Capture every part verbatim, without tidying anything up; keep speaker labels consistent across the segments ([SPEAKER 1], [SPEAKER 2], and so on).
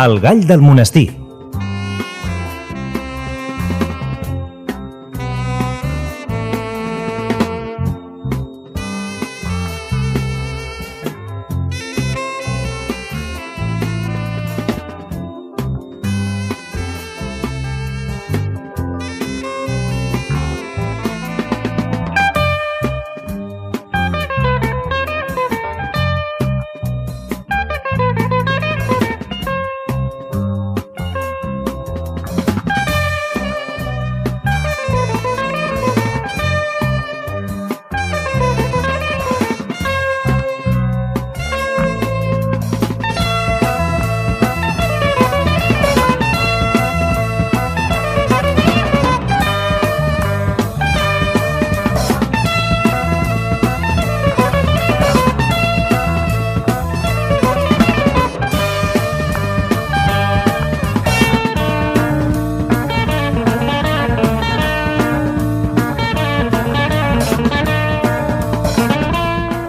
[SPEAKER 1] El gall del monestir.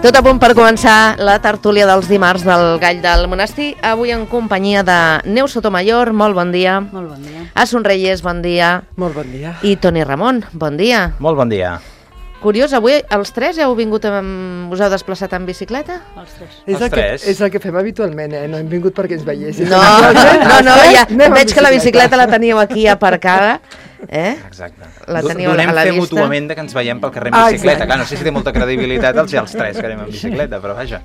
[SPEAKER 2] Tot a punt per començar la tertúlia dels dimarts del Gall del Monestir, avui en companyia de Neus Sotomayor, molt bon dia.
[SPEAKER 3] Molt bon dia.
[SPEAKER 2] Asun Reyes, bon dia.
[SPEAKER 4] Molt bon dia.
[SPEAKER 2] I Toni Ramon, bon dia.
[SPEAKER 5] Molt bon dia.
[SPEAKER 2] Curiós, avui els tres heu vingut, amb... us heu desplaçat en bicicleta?
[SPEAKER 3] Els tres.
[SPEAKER 4] És
[SPEAKER 5] Els
[SPEAKER 4] el, que,
[SPEAKER 5] tres.
[SPEAKER 4] és el que fem habitualment, eh? No hem vingut perquè ens veiéssim.
[SPEAKER 2] No, no, no, ja
[SPEAKER 4] Anem amb
[SPEAKER 2] veig que la
[SPEAKER 4] bicicleta.
[SPEAKER 2] bicicleta la teníeu aquí aparcada. Eh?
[SPEAKER 5] Exacte.
[SPEAKER 2] La
[SPEAKER 5] Do-
[SPEAKER 2] teniu a la
[SPEAKER 5] Donem fe
[SPEAKER 2] vista.
[SPEAKER 5] mútuament de que ens veiem pel carrer en
[SPEAKER 4] Ah,
[SPEAKER 5] bicicleta.
[SPEAKER 4] exacte.
[SPEAKER 5] Clar, no sé si té molta credibilitat els, els tres que anem en bicicleta, però vaja.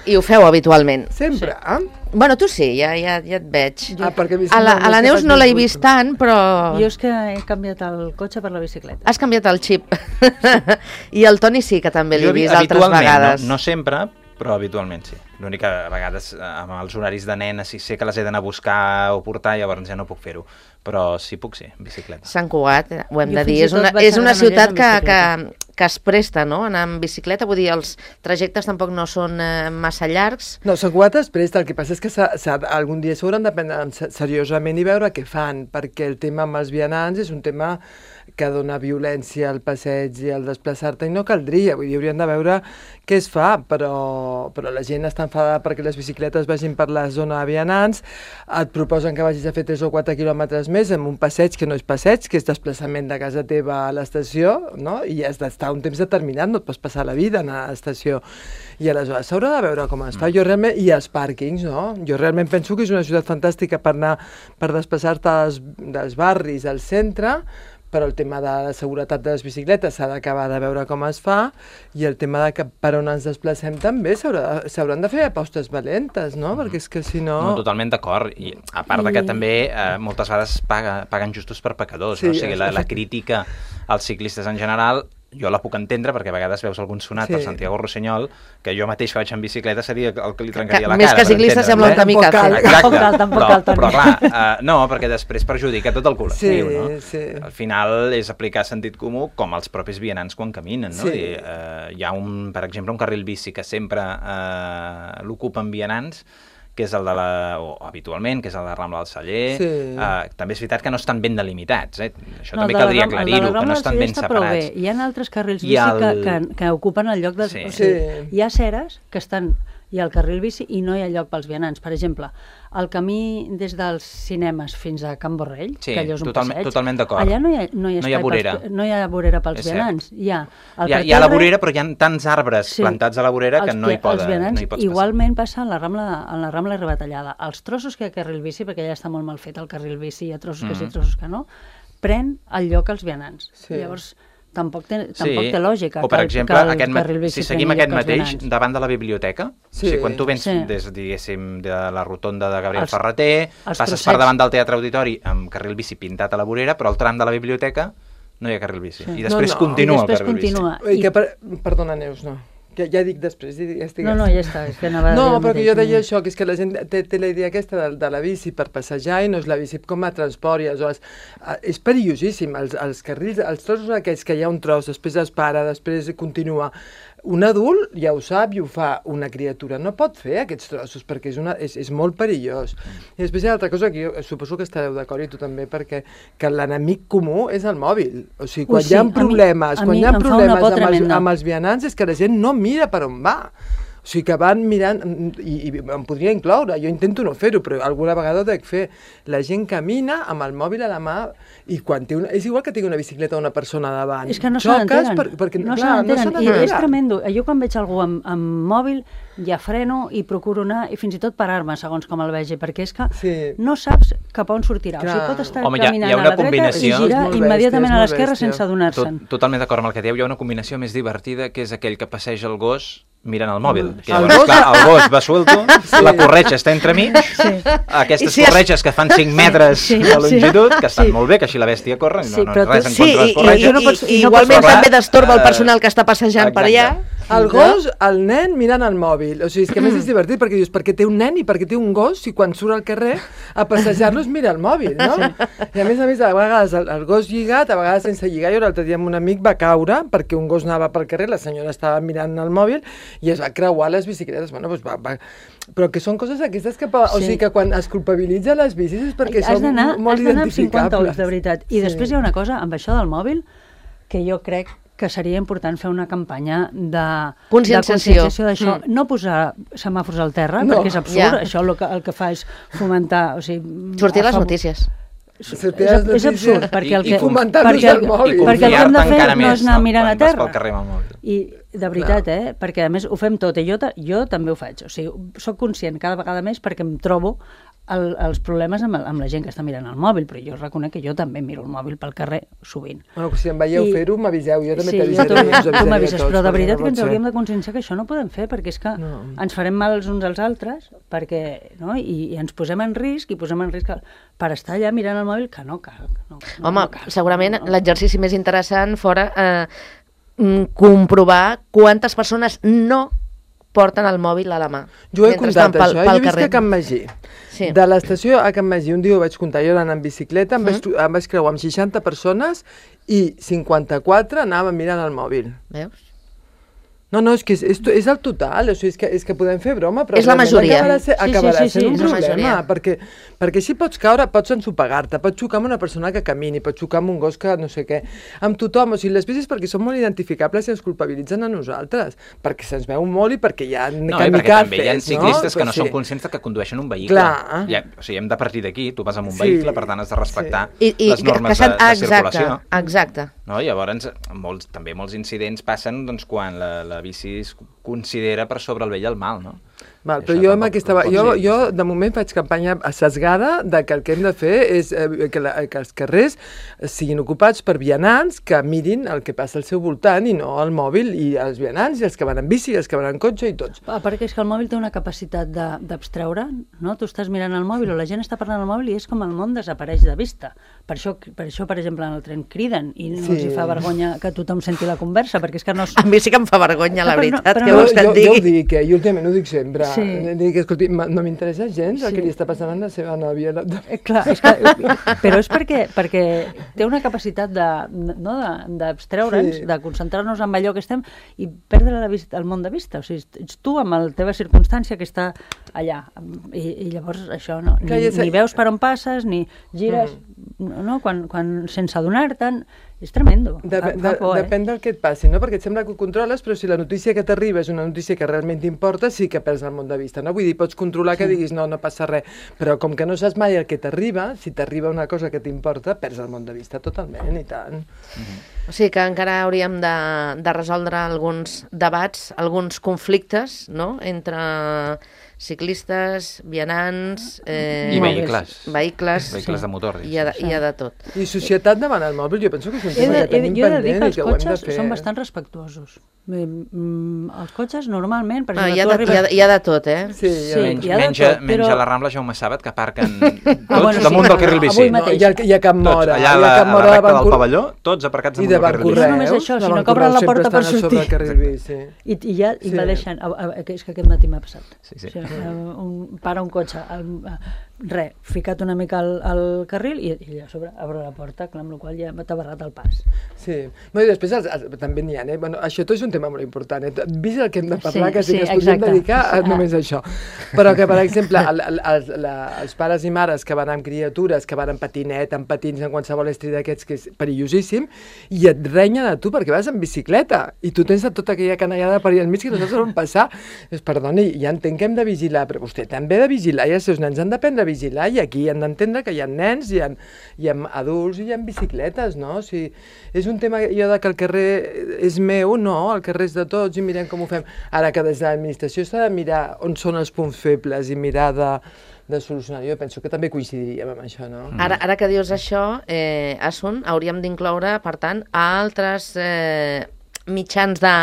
[SPEAKER 2] I ho feu habitualment.
[SPEAKER 4] Sempre, eh?
[SPEAKER 2] Bueno, tu sí, ja, ja, ja et veig.
[SPEAKER 4] Ah, perquè a mi
[SPEAKER 2] A la,
[SPEAKER 4] sembla
[SPEAKER 2] a la
[SPEAKER 4] que
[SPEAKER 2] Neus
[SPEAKER 4] faig
[SPEAKER 2] no l'he
[SPEAKER 4] més
[SPEAKER 2] vist
[SPEAKER 4] gusto.
[SPEAKER 2] tant, però...
[SPEAKER 3] Jo és que he canviat el cotxe per la bicicleta.
[SPEAKER 2] Has canviat el xip. I el Toni sí que també l'he
[SPEAKER 5] Jo,
[SPEAKER 2] vist altres
[SPEAKER 5] habitualment,
[SPEAKER 2] vegades.
[SPEAKER 5] No, no sempre, però habitualment sí. L'únic que a vegades amb els horaris de nena, si sé que les he d'anar a buscar o portar, llavors ja no puc fer-ho. Però sí puc ser, en bicicleta.
[SPEAKER 2] Sant Cugat, eh, ho hem
[SPEAKER 3] Jo
[SPEAKER 2] de dir,
[SPEAKER 3] fins i
[SPEAKER 2] és
[SPEAKER 3] tot
[SPEAKER 2] una,
[SPEAKER 3] vaig
[SPEAKER 2] és
[SPEAKER 3] a
[SPEAKER 2] una
[SPEAKER 3] Granollers
[SPEAKER 2] ciutat
[SPEAKER 3] en
[SPEAKER 2] que,
[SPEAKER 3] bicicleta.
[SPEAKER 2] que, que es presta, no?, anar en bicicleta, vull dir, els trajectes tampoc no són eh, massa llargs.
[SPEAKER 4] No, Sant Cugat es presta, el que passa és que s'ha- s'ha- algun dia s'hauran de prendre se- seriosament i veure què fan, perquè el tema amb els vianants és un tema que dona violència al passeig i al desplaçar-te i no caldria, vull dir, haurien de veure què es fa, però, però la gent està enfadada perquè les bicicletes vagin per la zona de vianants, et proposen que vagis a fer tres o quatre quilòmetres més en un passeig que no és passeig, que és desplaçament de casa teva a l'estació, no? I has d'estar un temps determinat, no et pots passar la vida a l'estació. I aleshores s'haurà de veure com es fa. Jo realment, i els pàrquings, no? Jo realment penso que és una ciutat fantàstica per anar, per desplaçar-te dels, dels barris al centre, però el tema de la seguretat de les bicicletes s'ha d'acabar de veure com es fa, i el tema de que per on ens desplacem també s'haurà- s'hauran de fer apostes valentes, no? Perquè és que si no...
[SPEAKER 5] No, totalment d'acord. I a part de que també eh, moltes vegades paga, paguen justos per pecadors.
[SPEAKER 4] Sí,
[SPEAKER 5] no? O sigui, la, la
[SPEAKER 4] efecte-
[SPEAKER 5] crítica als ciclistes en general, jo la puc entendre, perquè a vegades veus algun sonat
[SPEAKER 4] Sí.
[SPEAKER 5] per Santiago Rossinyol, que jo mateix que vaig en bicicleta seria el que li
[SPEAKER 2] Que,
[SPEAKER 5] trencaria la
[SPEAKER 2] més
[SPEAKER 5] cara.
[SPEAKER 2] que ciclista
[SPEAKER 5] per
[SPEAKER 2] sembla un
[SPEAKER 5] entendre'ns, eh?
[SPEAKER 4] Tampoc cal.
[SPEAKER 2] kamikaze.
[SPEAKER 5] Exacte,
[SPEAKER 3] Tampoc cal, tampoc
[SPEAKER 5] però,
[SPEAKER 3] cal, Toni.
[SPEAKER 5] però clar, uh, no, perquè després perjudica tot el col·lectiu,
[SPEAKER 4] Sí,
[SPEAKER 5] no?
[SPEAKER 4] sí.
[SPEAKER 5] Al final és aplicar sentit comú com els propis vianants quan caminen, no?
[SPEAKER 4] Sí.
[SPEAKER 5] I, uh, hi ha, un, per exemple, un carril bici que sempre uh, l'ocupen vianants, que és el de la, o habitualment, que és el de Rambla del Celler.
[SPEAKER 4] Sí.
[SPEAKER 5] Uh, també és veritat que no estan ben delimitats, eh? Això
[SPEAKER 3] No,
[SPEAKER 5] també
[SPEAKER 3] el de la
[SPEAKER 5] caldria
[SPEAKER 3] Ram- el de la
[SPEAKER 5] aclarir-ho, que
[SPEAKER 3] Rambla
[SPEAKER 5] no
[SPEAKER 3] del
[SPEAKER 5] estan
[SPEAKER 3] Celler
[SPEAKER 5] ben
[SPEAKER 3] està prou
[SPEAKER 5] separats.
[SPEAKER 3] bé. Hi ha altres carrils
[SPEAKER 5] I
[SPEAKER 3] bici
[SPEAKER 5] el-
[SPEAKER 3] que, que, que ocupen el lloc de...
[SPEAKER 5] Sí.
[SPEAKER 3] O sigui,
[SPEAKER 4] Sí.
[SPEAKER 3] hi ha aceres que estan... Hi ha el carril bici i no hi ha lloc pels vianants. Per exemple, el camí des dels cinemes fins a Can Borrell,
[SPEAKER 5] Sí,
[SPEAKER 3] que allò és un
[SPEAKER 5] totalment-
[SPEAKER 3] passeig,
[SPEAKER 5] totalment d'acord.
[SPEAKER 3] allà no hi ha, no hi ha,
[SPEAKER 5] No hi ha
[SPEAKER 3] espai
[SPEAKER 5] vorera.
[SPEAKER 3] Pels, no hi ha vorera pels
[SPEAKER 5] És cert.
[SPEAKER 3] vianants. Hi ha, el
[SPEAKER 5] Hi ha, hi ha la
[SPEAKER 3] parterre-
[SPEAKER 5] vorera, però hi ha tants arbres
[SPEAKER 3] Sí.
[SPEAKER 5] plantats a la vorera que
[SPEAKER 3] Els
[SPEAKER 5] no hi,
[SPEAKER 3] pi-
[SPEAKER 5] poden,
[SPEAKER 3] els vianants
[SPEAKER 5] no hi pots
[SPEAKER 3] igualment passa en la Rambla, en la Rambla Rebatallada. Els trossos que hi ha carril bici, perquè ja està molt mal fet el carril bici, hi ha trossos que sí,
[SPEAKER 5] Mhm.
[SPEAKER 3] trossos que no, pren el lloc als vianants.
[SPEAKER 4] Sí.
[SPEAKER 3] Llavors, tampoc té,
[SPEAKER 5] passar.
[SPEAKER 3] tampoc té lògica
[SPEAKER 5] O, per
[SPEAKER 3] que, el-
[SPEAKER 5] exemple,
[SPEAKER 3] que el
[SPEAKER 5] aquest, ma-
[SPEAKER 3] carril bici
[SPEAKER 5] si seguim
[SPEAKER 3] prengui
[SPEAKER 5] aquest
[SPEAKER 3] lloc als
[SPEAKER 5] mateix,
[SPEAKER 3] vianants.
[SPEAKER 5] davant de la biblioteca,
[SPEAKER 4] Sí.
[SPEAKER 5] o sigui, quan tu vens
[SPEAKER 3] Sí.
[SPEAKER 5] des, diguéssim, de la rotonda de Gabriel
[SPEAKER 3] Els-
[SPEAKER 5] Ferreter,
[SPEAKER 3] els
[SPEAKER 5] passes
[SPEAKER 3] trossets.
[SPEAKER 5] per davant del Teatre Auditori amb carril bici pintat a la vorera, però al tram de la biblioteca no hi ha carril bici.
[SPEAKER 3] Sí.
[SPEAKER 5] I després
[SPEAKER 4] No, no.
[SPEAKER 5] continua
[SPEAKER 3] I després
[SPEAKER 5] el carril
[SPEAKER 3] continua.
[SPEAKER 4] Ui, que per... Perdona, Neus, no. Ja, ja dic després, ja estic...
[SPEAKER 3] No, no, ja està, és que anava a dir
[SPEAKER 4] No,
[SPEAKER 3] el
[SPEAKER 4] però que
[SPEAKER 3] mateix,
[SPEAKER 4] jo deia
[SPEAKER 3] no.
[SPEAKER 4] això, que és que la gent té, té la idea aquesta de, de la bici per passejar i no és la bici com a transport. I aleshores, eh, és perillosíssim. Els, els carrils, els trossos aquests que hi ha un tros, després es para, després continua. Un adult ja ho sap i ho fa. Una criatura no pot fer aquests trossos perquè és, una, és, és molt perillós. I després hi ha altra cosa que jo suposo que estareu d'acord i tu també, perquè que l'enemic comú és el mòbil. O sigui, quan
[SPEAKER 3] Ui, sí,
[SPEAKER 4] hi ha
[SPEAKER 3] a mi-
[SPEAKER 4] problemes,
[SPEAKER 3] a
[SPEAKER 4] quan
[SPEAKER 3] mi
[SPEAKER 4] hi ha
[SPEAKER 3] em fa una
[SPEAKER 4] problemes
[SPEAKER 3] por
[SPEAKER 4] amb els,
[SPEAKER 3] tremenda.
[SPEAKER 4] amb els vianants és que la gent no mira per on va. O sigui que van mirant, i, i em podria incloure, jo intento no fer-ho, però alguna vegada ho dec fer. La gent camina amb el mòbil a la mà i quan té una... És igual que tingui una bicicleta o una persona davant.
[SPEAKER 3] És que no se n'entenen.
[SPEAKER 4] Per, perquè,
[SPEAKER 3] no
[SPEAKER 4] clar,
[SPEAKER 3] se n'entenen.
[SPEAKER 4] No
[SPEAKER 3] I és tremendo. Jo quan veig algú amb, amb mòbil ja freno i procuro anar i fins i tot parar-me segons com el vegi, perquè és que
[SPEAKER 4] sí.
[SPEAKER 3] no saps cap on sortirà.
[SPEAKER 4] Clar.
[SPEAKER 3] O sigui, pot estar
[SPEAKER 5] Home, hi ha,
[SPEAKER 3] caminant
[SPEAKER 5] hi ha
[SPEAKER 3] a
[SPEAKER 5] una
[SPEAKER 3] la dreta
[SPEAKER 5] combinació...
[SPEAKER 3] i girar
[SPEAKER 4] bèstia,
[SPEAKER 3] immediatament a l'esquerra
[SPEAKER 4] bèstia.
[SPEAKER 3] sense adonar-se'n.
[SPEAKER 5] Tot, totalment d'acord amb el que dieu. Hi ha una combinació més divertida, que és aquell que passeja el gos mirant el mòbil. Que
[SPEAKER 4] El
[SPEAKER 5] llavors,
[SPEAKER 4] gos-
[SPEAKER 5] clar, el gos va suelto,
[SPEAKER 4] Sí.
[SPEAKER 5] la corretja està entremig,
[SPEAKER 3] Sí.
[SPEAKER 5] aquestes
[SPEAKER 2] I si es-
[SPEAKER 5] corretges que fan cinc metres
[SPEAKER 3] Sí,
[SPEAKER 5] de
[SPEAKER 3] sí.
[SPEAKER 5] longitud, que estan
[SPEAKER 3] Sí.
[SPEAKER 5] molt bé, que així la bèstia corre,
[SPEAKER 3] Sí,
[SPEAKER 5] no, no,
[SPEAKER 3] però tu-
[SPEAKER 5] res en
[SPEAKER 2] Sí,
[SPEAKER 5] contra de
[SPEAKER 2] i,
[SPEAKER 5] les
[SPEAKER 2] i,
[SPEAKER 5] corretges.
[SPEAKER 2] i,
[SPEAKER 3] no pots-
[SPEAKER 2] i
[SPEAKER 3] no
[SPEAKER 2] igualment
[SPEAKER 5] pots-
[SPEAKER 2] també destorba el
[SPEAKER 5] Eh,
[SPEAKER 2] personal que està passejant per allà.
[SPEAKER 4] El gos, el nen mirant el mòbil. O sigui, és que a més és divertit perquè dius, per què té un nen i per què té un gos si quan surt al carrer a passejar-los mira el mòbil, no? I a més a més, a vegades el, el gos lligat, a vegades sense lligar. Jo l'altre dia amb un amic va caure perquè un gos anava pel carrer, la senyora estava mirant el mòbil i es va creuar les bicicletes. Bueno, doncs va, va... Però que són coses aquestes que... O
[SPEAKER 3] Sí.
[SPEAKER 4] sigui, que quan es culpabilitza les bicis és perquè
[SPEAKER 3] has
[SPEAKER 4] són
[SPEAKER 3] d'anar
[SPEAKER 4] molt
[SPEAKER 3] has d'anar amb cinquanta ulls,
[SPEAKER 4] identificables.
[SPEAKER 3] de veritat. I
[SPEAKER 4] Sí.
[SPEAKER 3] després hi ha una cosa, amb això del mòbil, que jo crec que seria important fer una campanya de
[SPEAKER 2] Conscienciació.
[SPEAKER 3] de conscienciació d'això.
[SPEAKER 2] Mm.
[SPEAKER 3] No posar semàfors al terra,
[SPEAKER 4] No.
[SPEAKER 3] perquè és absurd.
[SPEAKER 2] Ja.
[SPEAKER 3] Això el que, el que fa és fomentar... O sigui,
[SPEAKER 2] Sortir a les
[SPEAKER 3] favor-
[SPEAKER 2] notícies.
[SPEAKER 4] Sortir
[SPEAKER 3] És,
[SPEAKER 4] a les
[SPEAKER 3] és absurd,
[SPEAKER 4] notícies
[SPEAKER 3] perquè el
[SPEAKER 5] i-
[SPEAKER 3] que,
[SPEAKER 5] i
[SPEAKER 4] fomentar-los
[SPEAKER 3] perquè,
[SPEAKER 4] al mòbil.
[SPEAKER 5] I
[SPEAKER 3] perquè el que hem de
[SPEAKER 5] confiar-te
[SPEAKER 3] fer
[SPEAKER 5] encara
[SPEAKER 3] no és
[SPEAKER 5] més,
[SPEAKER 3] anar
[SPEAKER 5] no?
[SPEAKER 3] mirant a
[SPEAKER 5] Quan vas
[SPEAKER 3] terra.
[SPEAKER 5] pel carrer amb el mòbil.
[SPEAKER 3] I de veritat, eh? Perquè a més ho fem tot, i jo, ta- jo també ho faig. O sigui, soc conscient cada vegada més perquè em trobo el, els problemes amb, el, amb la gent que està mirant el mòbil, però jo reconec que jo també miro el mòbil pel carrer sovint.
[SPEAKER 4] Bueno, si em veieu
[SPEAKER 3] I-
[SPEAKER 4] fer-ho, m'aviseu, jo també
[SPEAKER 3] Sí,
[SPEAKER 4] t'avisaré.
[SPEAKER 3] tu,
[SPEAKER 4] us avisaré
[SPEAKER 3] tu
[SPEAKER 4] a
[SPEAKER 3] m'avises,
[SPEAKER 4] tots,
[SPEAKER 3] però de
[SPEAKER 4] perquè
[SPEAKER 3] veritat
[SPEAKER 4] no
[SPEAKER 3] que ens
[SPEAKER 4] pot ser.
[SPEAKER 3] hauríem de conscienciar que això no podem fer, perquè és que
[SPEAKER 4] No.
[SPEAKER 3] ens farem mal els uns als altres, perquè, no? I, i ens posem en risc, i posem en risc el- per estar allà mirant el mòbil, que no cal. Que no, no,
[SPEAKER 2] Home,
[SPEAKER 3] no cal,
[SPEAKER 2] segurament
[SPEAKER 3] no, no.
[SPEAKER 2] l'exercici més interessant fora eh, mm, comprovar quantes persones no porten el mòbil a la mà.
[SPEAKER 4] Jo ho he
[SPEAKER 2] mentre
[SPEAKER 4] comptat,
[SPEAKER 2] estan pel-
[SPEAKER 4] això.
[SPEAKER 2] pel
[SPEAKER 4] Jo he vist que
[SPEAKER 2] carrer.
[SPEAKER 4] a Can Magí,
[SPEAKER 2] Sí.
[SPEAKER 4] de l'estació a Can Magí, un dia ho vaig comptar, jo anant en bicicleta, em,
[SPEAKER 2] Mm.
[SPEAKER 4] vaig, tro- em vaig creuar amb seixanta persones i cinquanta-quatre anaven mirant el mòbil.
[SPEAKER 2] Veus?
[SPEAKER 4] No, no, és que és, és, és el total, o sigui, és que, és que podem fer broma, però
[SPEAKER 2] És la
[SPEAKER 4] realment
[SPEAKER 2] majoria.
[SPEAKER 4] acabarà, ser,
[SPEAKER 3] Sí, sí,
[SPEAKER 4] acabarà
[SPEAKER 3] sí, sí,
[SPEAKER 4] sent un
[SPEAKER 2] és la
[SPEAKER 4] problema,
[SPEAKER 2] majoria.
[SPEAKER 4] perquè, perquè així pots caure, pots ensopegar-te, pots xocar amb una persona que camini, pots xocar amb un gos que no sé què, amb tothom, o sigui, les bicis perquè són molt identificables i ens culpabilitzen a nosaltres, perquè se'ns veu molt i perquè hi ha
[SPEAKER 5] No, i perquè també hi ha ciclistes que no són conscients que condueixen un vehicle.
[SPEAKER 4] Clar.
[SPEAKER 5] Ja, o sigui, hem de partir d'aquí, tu vas amb un
[SPEAKER 4] Sí.
[SPEAKER 5] vehicle, per tant has de respectar
[SPEAKER 2] I, i
[SPEAKER 5] les normes
[SPEAKER 2] que s'han-
[SPEAKER 5] de, de
[SPEAKER 2] exacte,
[SPEAKER 5] circulació.
[SPEAKER 2] exacte.
[SPEAKER 5] No? Llavors, molts, també molts incidents passen doncs, quan la, la bici es considera per sobre el bé i el mal, no?
[SPEAKER 4] Val,
[SPEAKER 5] I
[SPEAKER 4] però
[SPEAKER 5] això
[SPEAKER 4] jo, amb
[SPEAKER 5] tampoc
[SPEAKER 4] aquesta,
[SPEAKER 5] pot
[SPEAKER 4] jo,
[SPEAKER 5] ser.
[SPEAKER 4] jo de moment faig campanya assesgada de que el que hem de fer és eh, que, la, que els carrers siguin ocupats per vianants que mirin el que passa al seu voltant i no el mòbil, i els vianants i els que van en bici i els que van en cotxe i tots.
[SPEAKER 3] Ah, perquè és que el mòbil té una capacitat de- d'abstreure, no? Tu estàs mirant el mòbil o la gent està parlant al mòbil i és com el món desapareix de vista. Per això, per, això, per exemple, en el tren criden i no
[SPEAKER 4] Sí.
[SPEAKER 3] els hi fa vergonya que tothom senti la conversa, perquè és que no...
[SPEAKER 2] A mi sí que em fa vergonya, la
[SPEAKER 3] Però no-
[SPEAKER 2] veritat,
[SPEAKER 3] però
[SPEAKER 2] que
[SPEAKER 3] no-
[SPEAKER 2] vostè
[SPEAKER 4] jo,
[SPEAKER 2] et
[SPEAKER 4] jo ho
[SPEAKER 2] digui.
[SPEAKER 4] dic, eh? Jo últimament ho dic sempre.
[SPEAKER 3] Sí.
[SPEAKER 4] Dic, escolti, ma- no m'interessa gens el
[SPEAKER 3] Sí.
[SPEAKER 4] que li està passant a la seva nòvia.
[SPEAKER 3] Eh, clar, és que, però és perquè, perquè té una capacitat de, no, de- d'abstreure'ns,
[SPEAKER 4] Sí.
[SPEAKER 3] de concentrar-nos en allò que estem i perdre la vista, el món de vista. O sigui, ets tu amb la teva circumstància que està allà. I, i llavors això no, ni,
[SPEAKER 4] Clar, ja sé-
[SPEAKER 3] ni veus per on passes, ni gires,
[SPEAKER 4] Mm.
[SPEAKER 3] no? Quan, quan sense adonar-te'n, és tremendo.
[SPEAKER 4] Dep
[SPEAKER 3] Fa-
[SPEAKER 4] de,
[SPEAKER 3] fa por, eh?
[SPEAKER 4] depèn del que et passi, no? Perquè et sembla que ho controles, però si la notícia que t'arriba és una notícia que realment t'importa, sí que perds el món de vista, no? Vull dir, pots controlar que diguis no, no passa res, però com que no saps mai el que t'arriba, si t'arriba una cosa que t'importa, perds el món de vista totalment, i tant.
[SPEAKER 2] O sigui que encara hauríem de, de resoldre alguns debats, alguns conflictes, no?, entre ciclistes, vianants... Eh,
[SPEAKER 5] I vehicles.
[SPEAKER 2] Vehicles.
[SPEAKER 5] Vehicles de motor.
[SPEAKER 2] Hi ha de, hi ha de tot.
[SPEAKER 4] I societat davant el mòbil, jo penso que és un
[SPEAKER 3] He
[SPEAKER 4] tema
[SPEAKER 3] de,
[SPEAKER 4] que
[SPEAKER 3] he,
[SPEAKER 4] tenim
[SPEAKER 3] jo he de dir
[SPEAKER 4] pendent
[SPEAKER 3] que
[SPEAKER 4] i
[SPEAKER 3] els
[SPEAKER 4] que ho hem de
[SPEAKER 3] cotxes
[SPEAKER 4] fer.
[SPEAKER 3] són bastant respectuosos. Bé, mm, els cotxes normalment, per
[SPEAKER 2] Ah,
[SPEAKER 3] exemple,
[SPEAKER 2] hi, ha
[SPEAKER 3] tu
[SPEAKER 2] de,
[SPEAKER 3] arribes...
[SPEAKER 2] hi, ha, hi ha de tot, eh?
[SPEAKER 4] Sí,
[SPEAKER 3] Sí,
[SPEAKER 4] ja.
[SPEAKER 5] Menys,
[SPEAKER 3] hi ha de
[SPEAKER 5] menja,
[SPEAKER 3] tot, però-
[SPEAKER 5] menja la Rambla Jaume Sàbat, que aparquen tots
[SPEAKER 3] Ah, bueno,
[SPEAKER 5] damunt
[SPEAKER 3] sí,
[SPEAKER 5] del carril
[SPEAKER 3] avui
[SPEAKER 5] bici.
[SPEAKER 4] No,
[SPEAKER 3] mateix.
[SPEAKER 4] hi ha, hi ha Cap
[SPEAKER 5] Tots,
[SPEAKER 4] Mora,
[SPEAKER 5] allà
[SPEAKER 4] hi
[SPEAKER 5] a
[SPEAKER 4] ha
[SPEAKER 5] la,
[SPEAKER 4] Cap
[SPEAKER 5] a
[SPEAKER 4] Mora
[SPEAKER 5] la
[SPEAKER 4] de
[SPEAKER 5] recta del
[SPEAKER 4] Bancor-
[SPEAKER 5] pavelló, tots aparcats
[SPEAKER 4] i
[SPEAKER 5] damunt
[SPEAKER 4] de
[SPEAKER 5] del carril bici.
[SPEAKER 3] Bancorreus. No només això,
[SPEAKER 4] de
[SPEAKER 3] sinó que
[SPEAKER 4] Bancorreus
[SPEAKER 3] obren la
[SPEAKER 4] sempre
[SPEAKER 3] porta per
[SPEAKER 4] estan a sobre
[SPEAKER 3] sortir.
[SPEAKER 4] el carril bici.
[SPEAKER 3] I, i ja
[SPEAKER 4] Sí.
[SPEAKER 3] invadeixen, a, a, que és que aquest matí m'ha passat.
[SPEAKER 5] Sí, sí.
[SPEAKER 3] O sigui, un, para un cotxe al, a, res, ficat una mica al, al carril i, i a sobre obre la porta, clar, amb la qual ja t'ha barrat el pas.
[SPEAKER 4] Sí. No, i després els, els, també n'hi ha, eh? Bueno, això tot és un tema molt important, eh? Vist el que hem de parlar,
[SPEAKER 3] Sí,
[SPEAKER 4] que sí,
[SPEAKER 3] sí,
[SPEAKER 4] que es podríem
[SPEAKER 3] exacte.
[SPEAKER 4] dedicar a
[SPEAKER 3] Ah.
[SPEAKER 4] només a això. Però que, per exemple, el, el, el, la, els pares i mares que van amb criatures, que van en patinet, en patins, en qualsevol estri d'aquests, que és perillosíssim, i et renyen a tu perquè vas en bicicleta, i tu tens tota aquella canallada per allà al mig que no saps on passar. Dius, perdoni, ja entenc que hem de vigilar, però vostè també ha de vigilar, i els seus nens han d'aprendre a vigilar, i aquí han d'entendre que hi ha nens, hi ha, hi ha adults i hi ha bicicletes, no? O sigui, és un tema, jo de que el carrer és meu, no, el carrer és de tots i mirem com ho fem. Ara que des de l'administració s'ha de mirar on són els punts febles i mirar de, de solucionar. Jo penso que també coincidiríem amb això, no?
[SPEAKER 2] Ara, ara que dius això, eh, Asun, hauríem d'incloure, per tant, altres eh, mitjans de,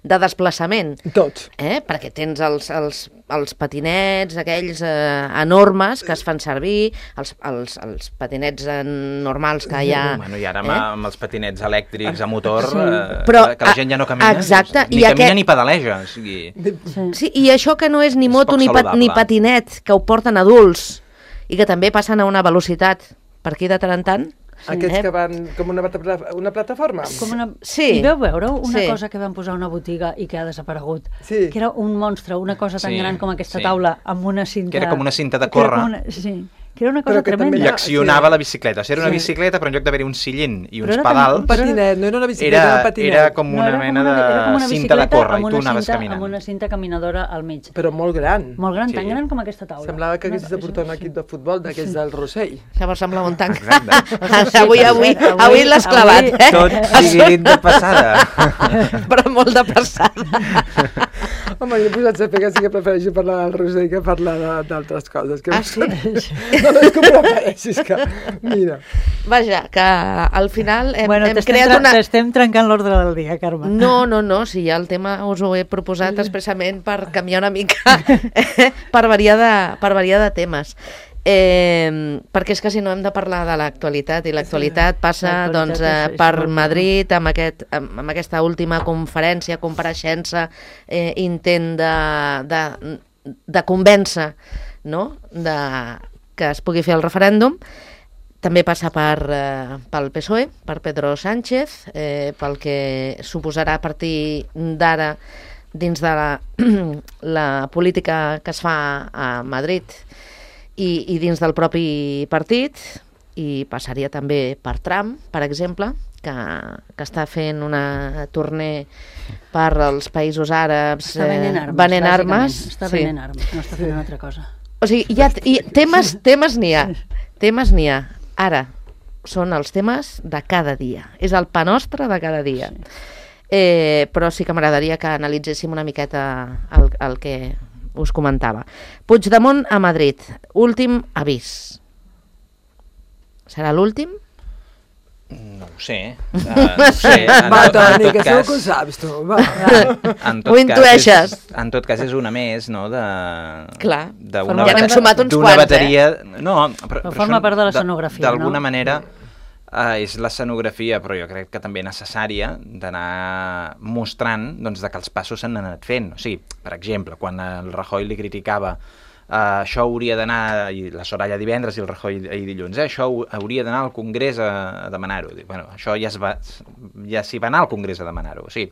[SPEAKER 2] de desplaçament.
[SPEAKER 4] Tots.
[SPEAKER 2] Eh? Perquè tens els, els, els patinets, aquells eh, enormes que es fan servir, els, els, els patinets eh, normals que hi ha...
[SPEAKER 5] Bueno, i ara amb,
[SPEAKER 2] eh?
[SPEAKER 5] amb els patinets elèctrics a motor,
[SPEAKER 3] Sí.
[SPEAKER 5] eh,
[SPEAKER 2] Però,
[SPEAKER 5] que la gent ja no camina,
[SPEAKER 2] exacte,
[SPEAKER 5] ni
[SPEAKER 2] i
[SPEAKER 5] camina
[SPEAKER 2] aquest-
[SPEAKER 5] ni pedaleja. O sigui,
[SPEAKER 3] Sí.
[SPEAKER 2] Sí, i això que no és ni
[SPEAKER 5] És
[SPEAKER 2] moto
[SPEAKER 5] poc
[SPEAKER 2] ni, pat, ni
[SPEAKER 5] saludable.
[SPEAKER 2] patinet, que ho porten adults i que també passen a una velocitat per aquí de tant en tant.
[SPEAKER 4] Aquests
[SPEAKER 2] eh?
[SPEAKER 4] que van com una, plata- una plataforma.
[SPEAKER 3] Com una...
[SPEAKER 2] Sí.
[SPEAKER 3] I veu veure una
[SPEAKER 2] Sí.
[SPEAKER 3] cosa que van posar a una botiga i que ha desaparegut?
[SPEAKER 4] Sí.
[SPEAKER 3] Que era un monstre, una cosa tan
[SPEAKER 5] Sí,
[SPEAKER 3] gran com aquesta
[SPEAKER 5] sí.
[SPEAKER 3] taula, amb una cinta...
[SPEAKER 5] Que era com una cinta de
[SPEAKER 3] que era
[SPEAKER 5] córrer.
[SPEAKER 3] com Una... Sí, que era una cosa
[SPEAKER 4] Però que també
[SPEAKER 3] tremenda.
[SPEAKER 4] hi
[SPEAKER 5] I
[SPEAKER 4] ha-
[SPEAKER 5] accionava
[SPEAKER 4] sí.
[SPEAKER 5] la bicicleta. O sigui, era una
[SPEAKER 3] Sí.
[SPEAKER 5] bicicleta, però en lloc d'haver-hi un sillent i
[SPEAKER 3] Però
[SPEAKER 5] uns
[SPEAKER 3] era
[SPEAKER 5] pedals,
[SPEAKER 4] Un patinet, no era una bicicleta,
[SPEAKER 5] era,
[SPEAKER 4] era un patinet.
[SPEAKER 5] era com
[SPEAKER 3] No,
[SPEAKER 5] una
[SPEAKER 3] era com
[SPEAKER 5] mena
[SPEAKER 3] una- era com
[SPEAKER 5] de
[SPEAKER 3] una
[SPEAKER 5] cinta de
[SPEAKER 3] bicicleta
[SPEAKER 5] córrer
[SPEAKER 3] amb
[SPEAKER 5] i
[SPEAKER 3] una
[SPEAKER 5] tu anaves
[SPEAKER 3] cinta-
[SPEAKER 5] caminant.
[SPEAKER 3] Amb una cinta caminadora al mig.
[SPEAKER 4] Però molt gran.
[SPEAKER 3] Molt gran,
[SPEAKER 5] Sí.
[SPEAKER 3] tan gran com aquesta taula.
[SPEAKER 4] Semblava que
[SPEAKER 3] Una-
[SPEAKER 4] haguessis de portar un equip de futbol d'aquells del Rossell.
[SPEAKER 2] Llavors semblava un tanc.
[SPEAKER 5] Exacte.
[SPEAKER 2] avui, avui, avui l'has clavat,
[SPEAKER 3] avui-
[SPEAKER 2] eh?
[SPEAKER 5] Tot sigui dit de passada.
[SPEAKER 2] Però molt de passada.
[SPEAKER 4] Home, jo he posat a saber que sí que prefereixo parlar del Rossell que parlar de- d'altres coses. Que
[SPEAKER 2] Ah, sí?
[SPEAKER 4] No, no és que ho prefereixis, que... Mira.
[SPEAKER 2] Vaja, que al final hem,
[SPEAKER 3] Bueno,
[SPEAKER 2] hem
[SPEAKER 3] t'estem
[SPEAKER 2] creat
[SPEAKER 3] tra-
[SPEAKER 2] una...
[SPEAKER 3] t'estem trencant l'ordre del dia, Carme.
[SPEAKER 2] No, no, no, si ja el tema us ho he proposat expressament per canviar una mica, eh, per, variar de, per variar de temes. Eh, perquè és que si no hem de parlar de l'actualitat i l'actualitat passa
[SPEAKER 3] L'actualitat
[SPEAKER 2] doncs,
[SPEAKER 3] és-
[SPEAKER 2] eh,
[SPEAKER 3] és
[SPEAKER 2] per
[SPEAKER 3] molt-
[SPEAKER 2] Madrid amb, aquest, amb, amb aquesta última conferència, compareixença, eh, intent de, de, de convèncer, no?, de, que es pugui fer el referèndum. També passa per, eh, pel P S O E, per Pedro Sánchez, eh, pel que suposarà a partir d'ara dins de la, la política que es fa a Madrid i, i dins del propi partit, i passaria també per Trump, per exemple, que, que està fent una tournée per als països àrabs,
[SPEAKER 3] Està venent armes.
[SPEAKER 2] venent
[SPEAKER 3] bàsicament.
[SPEAKER 2] armes.
[SPEAKER 3] Està
[SPEAKER 2] sí.
[SPEAKER 3] venent armes, no està fent una altra cosa.
[SPEAKER 2] O sigui, hi ha, hi, temes temes n'hi ha, temes n'hi ha. Ara, són els temes de cada dia. És el pa nostre de cada dia. Eh, però sí que m'agradaria que analitzéssim una miqueta el, el que us comentava. Puigdemont a Madrid. Últim avís. Serà l'últim?
[SPEAKER 5] No ho sé. Uh, no ho sé. En,
[SPEAKER 4] Va,
[SPEAKER 5] tot- en
[SPEAKER 4] Toni,
[SPEAKER 5] tot
[SPEAKER 4] que segur
[SPEAKER 5] cas,
[SPEAKER 4] que ho saps, tu. Va.
[SPEAKER 5] en tot
[SPEAKER 2] Ho
[SPEAKER 5] cas
[SPEAKER 2] intueixes.
[SPEAKER 5] És, en tot cas és una més, no?, de...
[SPEAKER 2] Clar.
[SPEAKER 5] d'una
[SPEAKER 3] Forma
[SPEAKER 2] Ja n'hem
[SPEAKER 3] part-
[SPEAKER 2] sumat uns
[SPEAKER 5] d'una
[SPEAKER 2] quants,
[SPEAKER 5] bateria... No, però,
[SPEAKER 3] Però
[SPEAKER 5] però
[SPEAKER 3] forma
[SPEAKER 5] són
[SPEAKER 3] part de la
[SPEAKER 5] de-
[SPEAKER 3] escenografia,
[SPEAKER 5] D'alguna
[SPEAKER 3] no?
[SPEAKER 5] manera eh, és l'escenografia, però jo crec que també necessària d'anar mostrant doncs, de que els passos s'han anat fent. O sigui, per exemple, quan el Rajoy li criticava Uh, això hauria d'anar, i la Soraya divendres i el Rajoy ahir dilluns, eh? Això hauria d'anar al Congrés a, a demanar-ho. Bueno, això ja, es va, ja s'hi va anar al Congrés a demanar-ho, o sigui,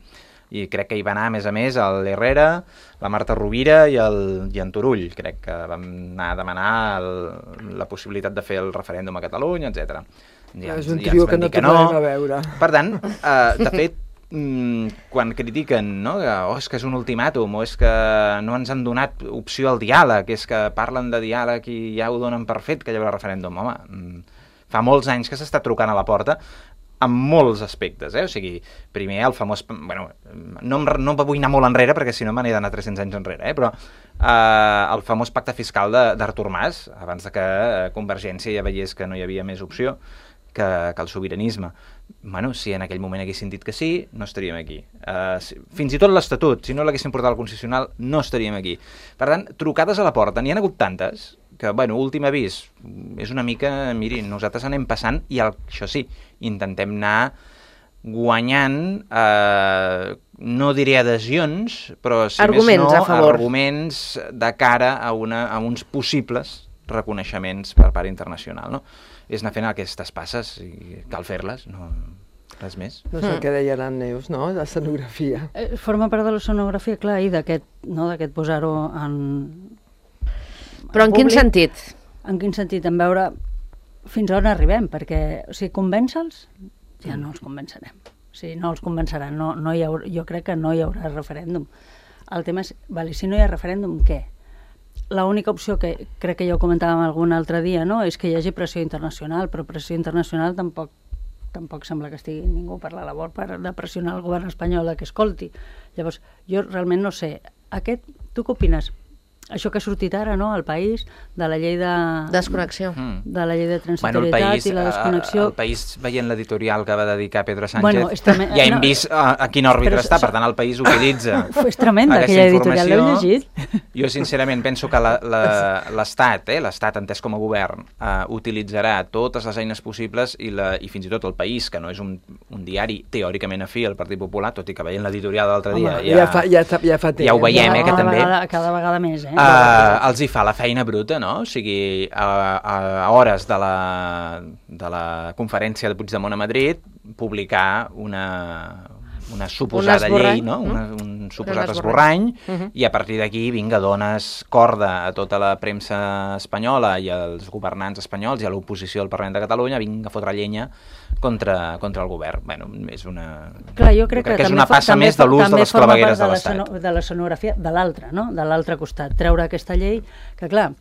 [SPEAKER 5] i crec que hi va anar, a més a més, l'Herrera, la Marta Rovira i, el, i en Turull. Crec que vam anar a demanar el, la possibilitat de fer el referèndum a Catalunya, etcètera. Ja,
[SPEAKER 4] És un
[SPEAKER 5] ja ens
[SPEAKER 4] trio
[SPEAKER 5] van
[SPEAKER 4] que no
[SPEAKER 5] dir
[SPEAKER 4] tornarem a veure.
[SPEAKER 5] Per tant, uh, de fet, Mm, quan critiquen, no?, que oh, és que és un ultimàtum, o és que no ens han donat opció al diàleg, és que parlen de diàleg i ja ho donen per fet que hi haurà referèndum. Home, mm, fa molts anys que s'està trucant a la porta en molts aspectes, eh? O sigui, primer el famós... Bueno, no, em, no vull anar molt enrere, perquè si no me n'he d'anar tres-cents anys enrere, eh? Però eh, el famós pacte fiscal d'Artur Mas, abans de que Convergència ja veiés que no hi havia més opció que, que el sobiranisme. Bueno, si en aquell moment haguessin dit que sí, no estaríem aquí. Uh, si, fins i tot l'Estatut, si no l'haguessin portat al Constitucional, no estaríem aquí. Per tant, trucades a la porta, n'hi ha hagut tantes, que, bueno, últim avís, és una mica, miri, nosaltres anem passant, i el, això sí, intentem anar guanyant, eh, no diré adhesions, però si
[SPEAKER 2] Arguments
[SPEAKER 5] més no,
[SPEAKER 2] a favor.
[SPEAKER 5] arguments de cara a, una, a uns possibles reconeixements per part internacional, no? És anar fent aquestes passes i cal fer-les, no res més.
[SPEAKER 4] No sé mm. què deia la Neus, no?, l'escenografia.
[SPEAKER 3] Eh, forma part de l'escenografia, clar, i d'aquest, no?, d'aquest posar-ho en...
[SPEAKER 2] Però en, en quin sentit?
[SPEAKER 3] En quin sentit? En veure fins on arribem, perquè, o sigui, convèncer-los, ja no els convencerem. O sigui, no els convenceran, no, no hi haurà, jo crec que no hi haurà referèndum. El tema és, vale, si no hi ha referèndum, què? L'única opció que crec que ja ho comentàvem algun altre dia, no?, és que hi hagi pressió internacional, però pressió internacional tampoc tampoc sembla que estigui ningú per la labor per de pressionar el govern espanyol que escolti. Llavors, jo realment no sé, aquest, tu què opines? Això que ha sortit ara, no?, al País, de la llei de...
[SPEAKER 2] Desconnexió.
[SPEAKER 3] De la llei de transitorietat bueno, país, i la desconnexió...
[SPEAKER 5] El País, veient l'editorial que va dedicar Pedro Sánchez,
[SPEAKER 3] bueno, tremend...
[SPEAKER 5] ja hem
[SPEAKER 3] no,
[SPEAKER 5] vist a, a quin òrbit està, per tant el País utilitza
[SPEAKER 3] és tremenda aquella editorial, l'heu llegit?
[SPEAKER 5] Jo sincerament penso que l'Estat, eh, l'Estat entès com a govern, uh, utilitzarà totes les eines possibles i, la, i fins i tot el País, que no és un, un diari teòricament afí al Partit Popular, tot i que veient l'editorial de l'altre dia ja,
[SPEAKER 4] ja, fa, ja, ja, fa
[SPEAKER 5] ja ho veiem,
[SPEAKER 3] ja,
[SPEAKER 5] eh, que
[SPEAKER 3] cada
[SPEAKER 5] també...
[SPEAKER 3] Vegada, cada vegada més, eh?
[SPEAKER 5] Uh, els hi fa la feina bruta, no? O sigui, a, a hores de la, de la conferència de Puigdemont a Madrid, publicar una, una suposada
[SPEAKER 2] un
[SPEAKER 5] llei, no? Una, un suposat esborrany, uh -huh. i a partir d'aquí, vinga, dones corda a tota la premsa espanyola i als governants espanyols i a l'oposició del Parlament de Catalunya, vinga a fotre llenya contra, contra el govern. Bueno, és una...
[SPEAKER 3] Clar, jo crec, jo crec
[SPEAKER 5] que, que és
[SPEAKER 3] una
[SPEAKER 5] passa més de l'ús de les clavegueres de l'Estat.
[SPEAKER 3] De l'escenografia de l'altre, no?, de l'altre costat. Treure aquesta llei, que clar,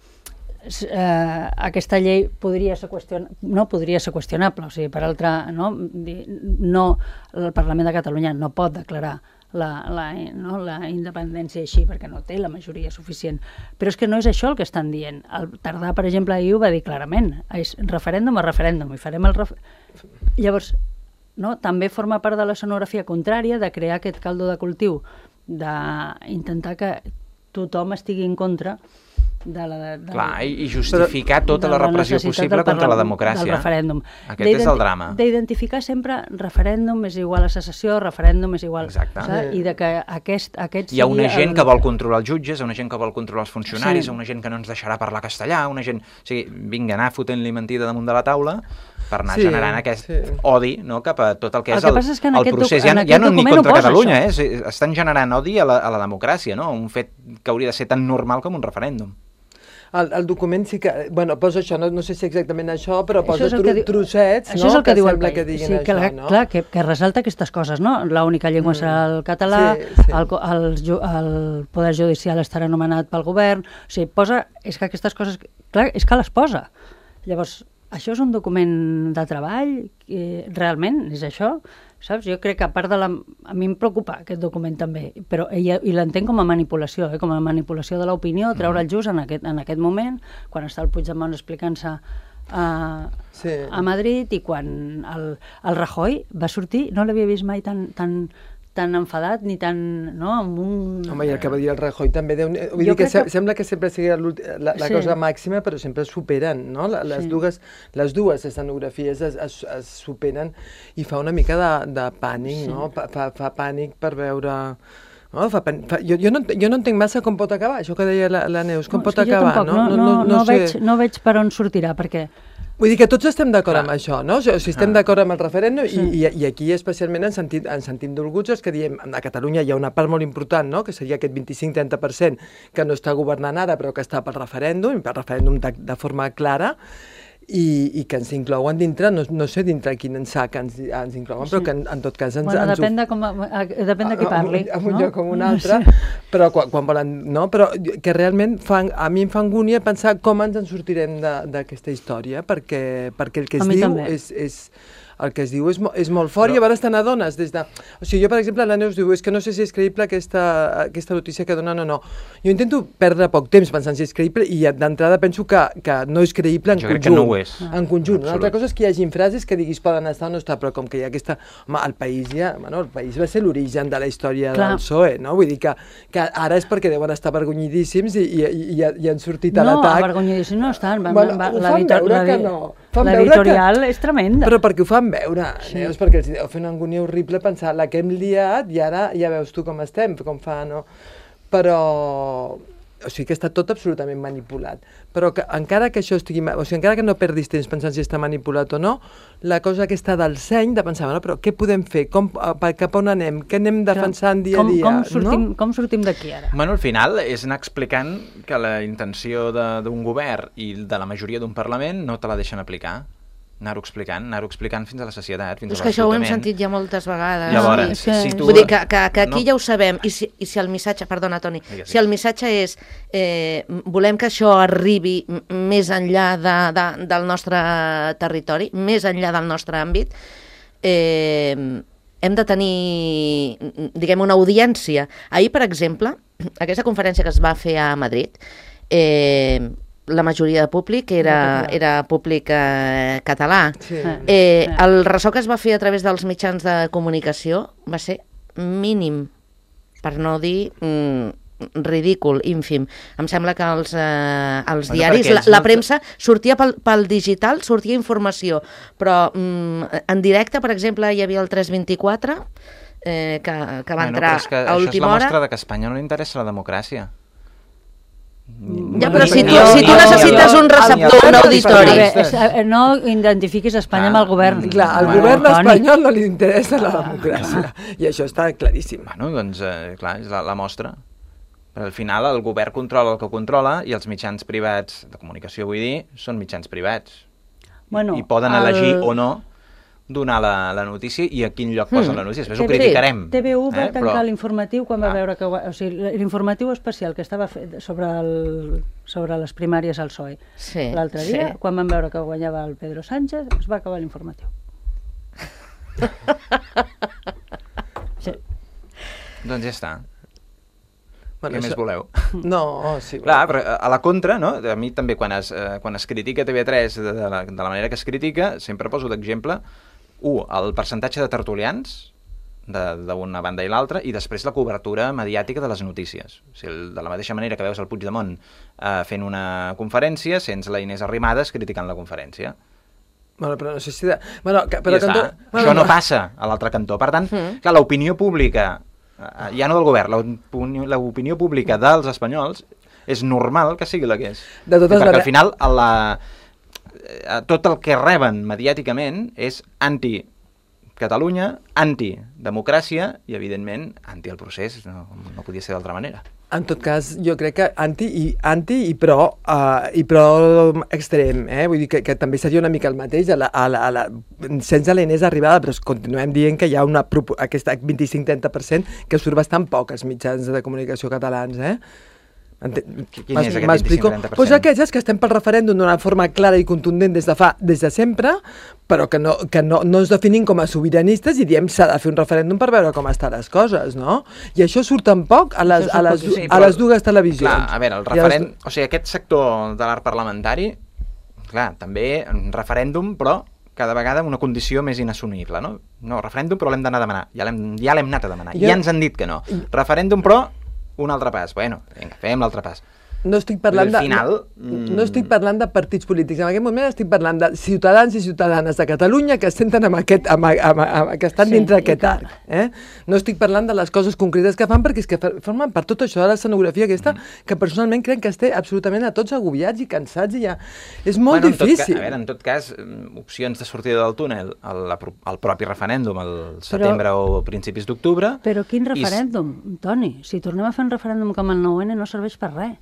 [SPEAKER 3] eh, aquesta llei podria ser qüestion... no podria ser qüestionable, o sigui, per altra, no, no, el Parlament de Catalunya no pot declarar la, la, no, la independència així, perquè no té la majoria suficient. Però és que no és això el que estan dient. El Tardà, per exemple, ahir ho va dir clarament. És referèndum a referèndum, i farem el referèndum. Llavors, no, també forma part de l'escenografia contrària de crear aquest caldo de cultiu, d'intentar que tothom estigui en contra de la... De, de
[SPEAKER 5] Clar, i justificar tota la, la repressió possible contra la democràcia.
[SPEAKER 3] Del referèndum.
[SPEAKER 5] Aquest és el drama.
[SPEAKER 3] D'identificar sempre referèndum és igual a secessió, referèndum és igual...
[SPEAKER 5] Exacte.
[SPEAKER 3] Saps? I de que aquest, aquest
[SPEAKER 5] hi ha una gent
[SPEAKER 3] el...
[SPEAKER 5] que vol controlar els jutges, una gent que vol controlar els funcionaris,
[SPEAKER 3] sí.
[SPEAKER 5] una gent que no ens deixarà parlar castellà, una gent... O sigui, vinga, anar fotent-li mentida damunt de la taula per anar sí, generant aquest sí. odi, no?, cap a tot el que
[SPEAKER 3] el
[SPEAKER 5] és
[SPEAKER 3] que
[SPEAKER 5] el,
[SPEAKER 3] és que
[SPEAKER 5] el procés. Ja, ja no ni contra Catalunya, eh? Estan generant odi a la, a la democràcia, no? Un fet que hauria de ser tan normal com un referèndum.
[SPEAKER 4] El, el document sí que... Bueno, posa això, no, no sé si exactament això, però posa tru, diu, trossets,
[SPEAKER 3] això
[SPEAKER 4] no?,
[SPEAKER 3] és el que, que diu
[SPEAKER 4] sembla
[SPEAKER 3] el
[SPEAKER 4] que diguin
[SPEAKER 3] sí, que
[SPEAKER 4] això,
[SPEAKER 3] la,
[SPEAKER 4] no?
[SPEAKER 3] Clar, que, que ressalta aquestes coses, no? L'única llengua mm. serà el català, sí, sí. El, el, el poder judicial estarà nomenat pel govern... O sigui, posa... És que aquestes coses... Clar, és que les posa. Llavors, això és un document de treball? Que realment és això? Saps? Jo crec que a part de la... A mi em preocupa aquest document també, però ella, i l'entenc com a manipulació, eh? Com a manipulació de l'opinió, treure el just en aquest, en aquest moment, quan està el Puigdemont explicant-se a, sí. a Madrid, i quan el, el Rajoy va sortir, no l'havia vist mai tan... tan tan enfadat ni tan... no, amb un...
[SPEAKER 4] Home, i el que va dir el Rajoy també... Deu... Vull jo dir que, que sembla que sempre sigui la, la sí. cosa màxima, però sempre es superen, no? Les, sí. dues, les dues escenografies es, es, es superen i fa una mica de, de pànic, sí. no? Fa, fa, fa pànic per veure... No, fa, fa, jo, jo, no, jo no entenc massa com pot acabar, això que deia la, la Neus, com no, pot acabar,
[SPEAKER 3] tampoc,
[SPEAKER 4] no?
[SPEAKER 3] No, no, no, no, no, sé. veig, no veig per on sortirà, perquè...
[SPEAKER 4] Vull dir que tots estem d'acord amb això, no? O sigui, estem ah. d'acord amb el referèndum sí. i, i, i aquí especialment ens sentim, ens sentim dolguts els que diem, a Catalunya hi ha una part molt important, no?, que seria aquest vint-i-cinc a trenta per cent que no està governant ara però que està pel referèndum, i pel referèndum de, de forma clara, i, i que ens inclouen dintre, no, no sé dintre quin sac ens, ens inclouen, sí. però que en, en tot cas ens...
[SPEAKER 3] Bueno,
[SPEAKER 4] ens
[SPEAKER 3] depèn, de com, depèn de qui parli.
[SPEAKER 4] En un
[SPEAKER 3] no?
[SPEAKER 4] lloc com un altre, sí. però quan, quan volen... No? Però que realment fan, a mi em fa angúnia pensar com ens en sortirem d'aquesta història, perquè, perquè el que es diu és, és... el que es diu és, mo és molt fort, però... i a vegades te n'adones des de... O sigui, jo, per exemple, la Neus diu, és que no sé si és creïble aquesta, aquesta notícia que donen o no. Jo intento perdre poc temps pensant si és creïble i d'entrada penso que, que no és creïble en
[SPEAKER 5] jo
[SPEAKER 4] conjunt.
[SPEAKER 5] Jo crec que no ho és.
[SPEAKER 4] En conjunt. Una altra cosa és que hi hagi frases que diguis poden estar o no estar, però com que hi ha aquesta... Home, el país ja... Bueno, el país va ser l'origen de la història Clar. del P S O E, no? Vull dir que, que ara és perquè deuen estar avergonyidíssims i, i, i, i han sortit a
[SPEAKER 3] no,
[SPEAKER 4] l'atac.
[SPEAKER 3] No, avergonyidíssims no estan. Va,
[SPEAKER 4] bueno,
[SPEAKER 3] va,
[SPEAKER 4] ho fan veure que no.
[SPEAKER 3] L'editorial és tremenda.
[SPEAKER 4] Però perquè ho fan veure, sí. Neus, perquè els deu fer una angúnia horrible pensar la que hem liat i ara ja veus tu com estem, com fa, no? Però, o sigui que està tot absolutament manipulat. Però que, encara que això estigui... O sigui, encara que no perdis temps pensant si està manipulat o no, la cosa aquesta del seny, de pensar, bueno, però què podem fer? Com, cap on anem? Què anem defensant dia a
[SPEAKER 3] com,
[SPEAKER 4] dia?
[SPEAKER 3] Com sortim,
[SPEAKER 4] no?
[SPEAKER 3] com sortim d'aquí ara?
[SPEAKER 5] Bueno, al final és anar explicant que la intenció d'un govern i de la majoria d'un Parlament no te la deixen aplicar. Anar-ho explicant, anar-ho explicant fins a la societat, fins
[SPEAKER 2] és
[SPEAKER 5] a
[SPEAKER 2] que això ho hem
[SPEAKER 5] l'esgotament.
[SPEAKER 2] sentit ja moltes vegades.
[SPEAKER 5] Llavors,
[SPEAKER 3] és que...
[SPEAKER 5] si tu...
[SPEAKER 2] Vull dir que, que, que aquí
[SPEAKER 5] no.
[SPEAKER 2] ja ho sabem, i si, i si el missatge, perdona Toni,
[SPEAKER 5] Digues,
[SPEAKER 2] si el missatge és eh, volem que això arribi més enllà de, de, del nostre territori, més enllà del nostre àmbit, eh, hem de tenir, diguem, una audiència. Ahir, per exemple, aquesta conferència que es va fer a Madrid, eh, la majoria de públic era, era públic eh, català.
[SPEAKER 4] Sí.
[SPEAKER 2] Eh, el ressò que es va fer a través dels mitjans de comunicació va ser mínim, per no dir mm, ridícul, ínfim. Em sembla que els, eh, els
[SPEAKER 5] Bueno,
[SPEAKER 2] diaris,
[SPEAKER 5] perquè
[SPEAKER 2] la,
[SPEAKER 5] ells
[SPEAKER 2] la
[SPEAKER 5] no-
[SPEAKER 2] premsa sortia pel, pel digital, sortia informació, però mm, en directe, per exemple, hi havia el tres vint-i-quatre, eh, que, que va
[SPEAKER 5] Bueno,
[SPEAKER 2] entrar
[SPEAKER 5] però és que
[SPEAKER 2] a
[SPEAKER 5] això és
[SPEAKER 2] última
[SPEAKER 5] la
[SPEAKER 2] hora.
[SPEAKER 5] mostra de que a Espanya no li interessa la democràcia.
[SPEAKER 2] Ja, però
[SPEAKER 3] Bueno,
[SPEAKER 2] si tu,
[SPEAKER 3] jo-
[SPEAKER 2] si tu
[SPEAKER 3] jo-
[SPEAKER 2] necessites
[SPEAKER 3] jo-
[SPEAKER 2] un receptor,
[SPEAKER 5] jo-
[SPEAKER 2] un
[SPEAKER 5] jo-
[SPEAKER 2] auditori...
[SPEAKER 3] A veure, és, eh, no identifiquis Espanya amb el govern.
[SPEAKER 4] Clar, al
[SPEAKER 5] Bueno,
[SPEAKER 4] govern
[SPEAKER 3] Toni.
[SPEAKER 4] espanyol no li interessa la democràcia. I això està claríssim.
[SPEAKER 5] Bueno, doncs, eh, clar, és la, la mostra. Però al final el govern controla el que controla i els mitjans privats, de comunicació vull dir, són mitjans privats.
[SPEAKER 3] Bueno,
[SPEAKER 5] I poden
[SPEAKER 3] el-
[SPEAKER 5] elegir o no donar la, la notícia i a quin lloc posen
[SPEAKER 2] Mm.
[SPEAKER 5] la notícia. Després ho
[SPEAKER 3] T V
[SPEAKER 5] criticarem.
[SPEAKER 3] T V u va
[SPEAKER 5] eh?
[SPEAKER 3] tancar
[SPEAKER 5] Però-
[SPEAKER 3] l'informatiu quan va
[SPEAKER 5] Ah.
[SPEAKER 3] veure que... O sigui, l'informatiu especial que estava fet sobre, el, sobre les primàries al P S O E
[SPEAKER 2] Sí,
[SPEAKER 3] l'altre dia,
[SPEAKER 2] sí.
[SPEAKER 3] quan van veure que guanyava el Pedro Sánchez, es va acabar l'informatiu. Sí.
[SPEAKER 5] Doncs ja està.
[SPEAKER 4] Bueno,
[SPEAKER 5] Què més
[SPEAKER 4] això-
[SPEAKER 5] voleu?
[SPEAKER 4] No, oh, sí.
[SPEAKER 5] Clar, però a la contra, no? A mi també quan es, eh, quan es critica T V tres de, de, la, de la manera que es critica, sempre poso d'exemple, u, el percentatge de tertulians d'una banda i l'altra, i després la cobertura mediàtica de les notícies. O sigui, el- de la mateixa manera que veus el Puigdemont eh, fent una conferència, sents la Inés Arrimadas criticant la conferència.
[SPEAKER 4] Bueno, però no sé si... De... Bueno, que, però
[SPEAKER 5] I ja
[SPEAKER 4] cantó...
[SPEAKER 5] està. Això no passa a l'altre cantó. Per tant,
[SPEAKER 2] Mm.
[SPEAKER 5] clar, l'opinió pública, eh, ja no del govern, l'opinió- l'opinió pública dels espanyols és normal que sigui la que és.
[SPEAKER 4] De totes
[SPEAKER 5] perquè
[SPEAKER 4] maneres-
[SPEAKER 5] al final a la, a tot el que reben mediàticament és anti-Catalunya, anti-democràcia i, evidentment, anti el procés. No, no podia ser d'altra manera.
[SPEAKER 4] En tot cas, jo crec que anti i, anti i pro, uh, i pro extrem, eh? Vull dir que, que també seria una mica el mateix a la, a la, a la, sense la Inés Arribada, però continuem dient que hi ha una, aquesta vint-i-cinc trenta per cent que surt bastant poc als mitjans de comunicació catalans, eh?
[SPEAKER 5] Quin és aquest
[SPEAKER 4] M'explico?
[SPEAKER 5] vint-i-cinc trenta per cent?
[SPEAKER 4] Pues aquestes que estem pel referèndum d'una forma clara i contundent des de fa, des de sempre, però que no, que no, no ens definim com a sobiranistes i diem s'ha de fer un referèndum per veure com estan les coses, no? I això surt tampoc a les, a les,
[SPEAKER 5] Sí,
[SPEAKER 4] a
[SPEAKER 5] però-
[SPEAKER 4] les dues televisions.
[SPEAKER 5] Clar, a veure, el
[SPEAKER 4] I a les-
[SPEAKER 5] referent... O sigui, aquest sector de l'art parlamentari, clar, també un referèndum, però cada vegada amb una condició més inassumible, no? No, referèndum, però l'hem d'anar a demanar. Ja l'hem ja l'hem anat a demanar.
[SPEAKER 4] Jo-
[SPEAKER 5] Ja ens han dit que no. Referèndum, però un altre pas. Bueno, vinga, fem l'altre pas.
[SPEAKER 4] No estic parlant de...
[SPEAKER 5] Al final,
[SPEAKER 4] no,
[SPEAKER 5] mm,
[SPEAKER 4] no estic parlant de partits polítics. En aquest moment estic parlant de ciutadans i ciutadanes de Catalunya que es senten amb aquest, amb, amb, amb, que estan
[SPEAKER 3] Sí,
[SPEAKER 4] dintre
[SPEAKER 3] i
[SPEAKER 4] aquest
[SPEAKER 3] que-
[SPEAKER 4] arc. Eh? No estic parlant de les coses concretes que fan, perquè és que fer- formen per tot això de l'escenografia aquesta, que personalment crec que esté absolutament a tots agobiats i cansats i ja... És molt
[SPEAKER 5] bueno, en tot
[SPEAKER 4] difícil.
[SPEAKER 5] Ca, a veure, en tot cas, mm, opcions de sortida del túnel, el, la, el propi referèndum, el setembre o principis d'octubre...
[SPEAKER 3] Però quin
[SPEAKER 5] i s-
[SPEAKER 3] referèndum, Toni? Si tornem a fer un referèndum com el nou ene no serveix per res.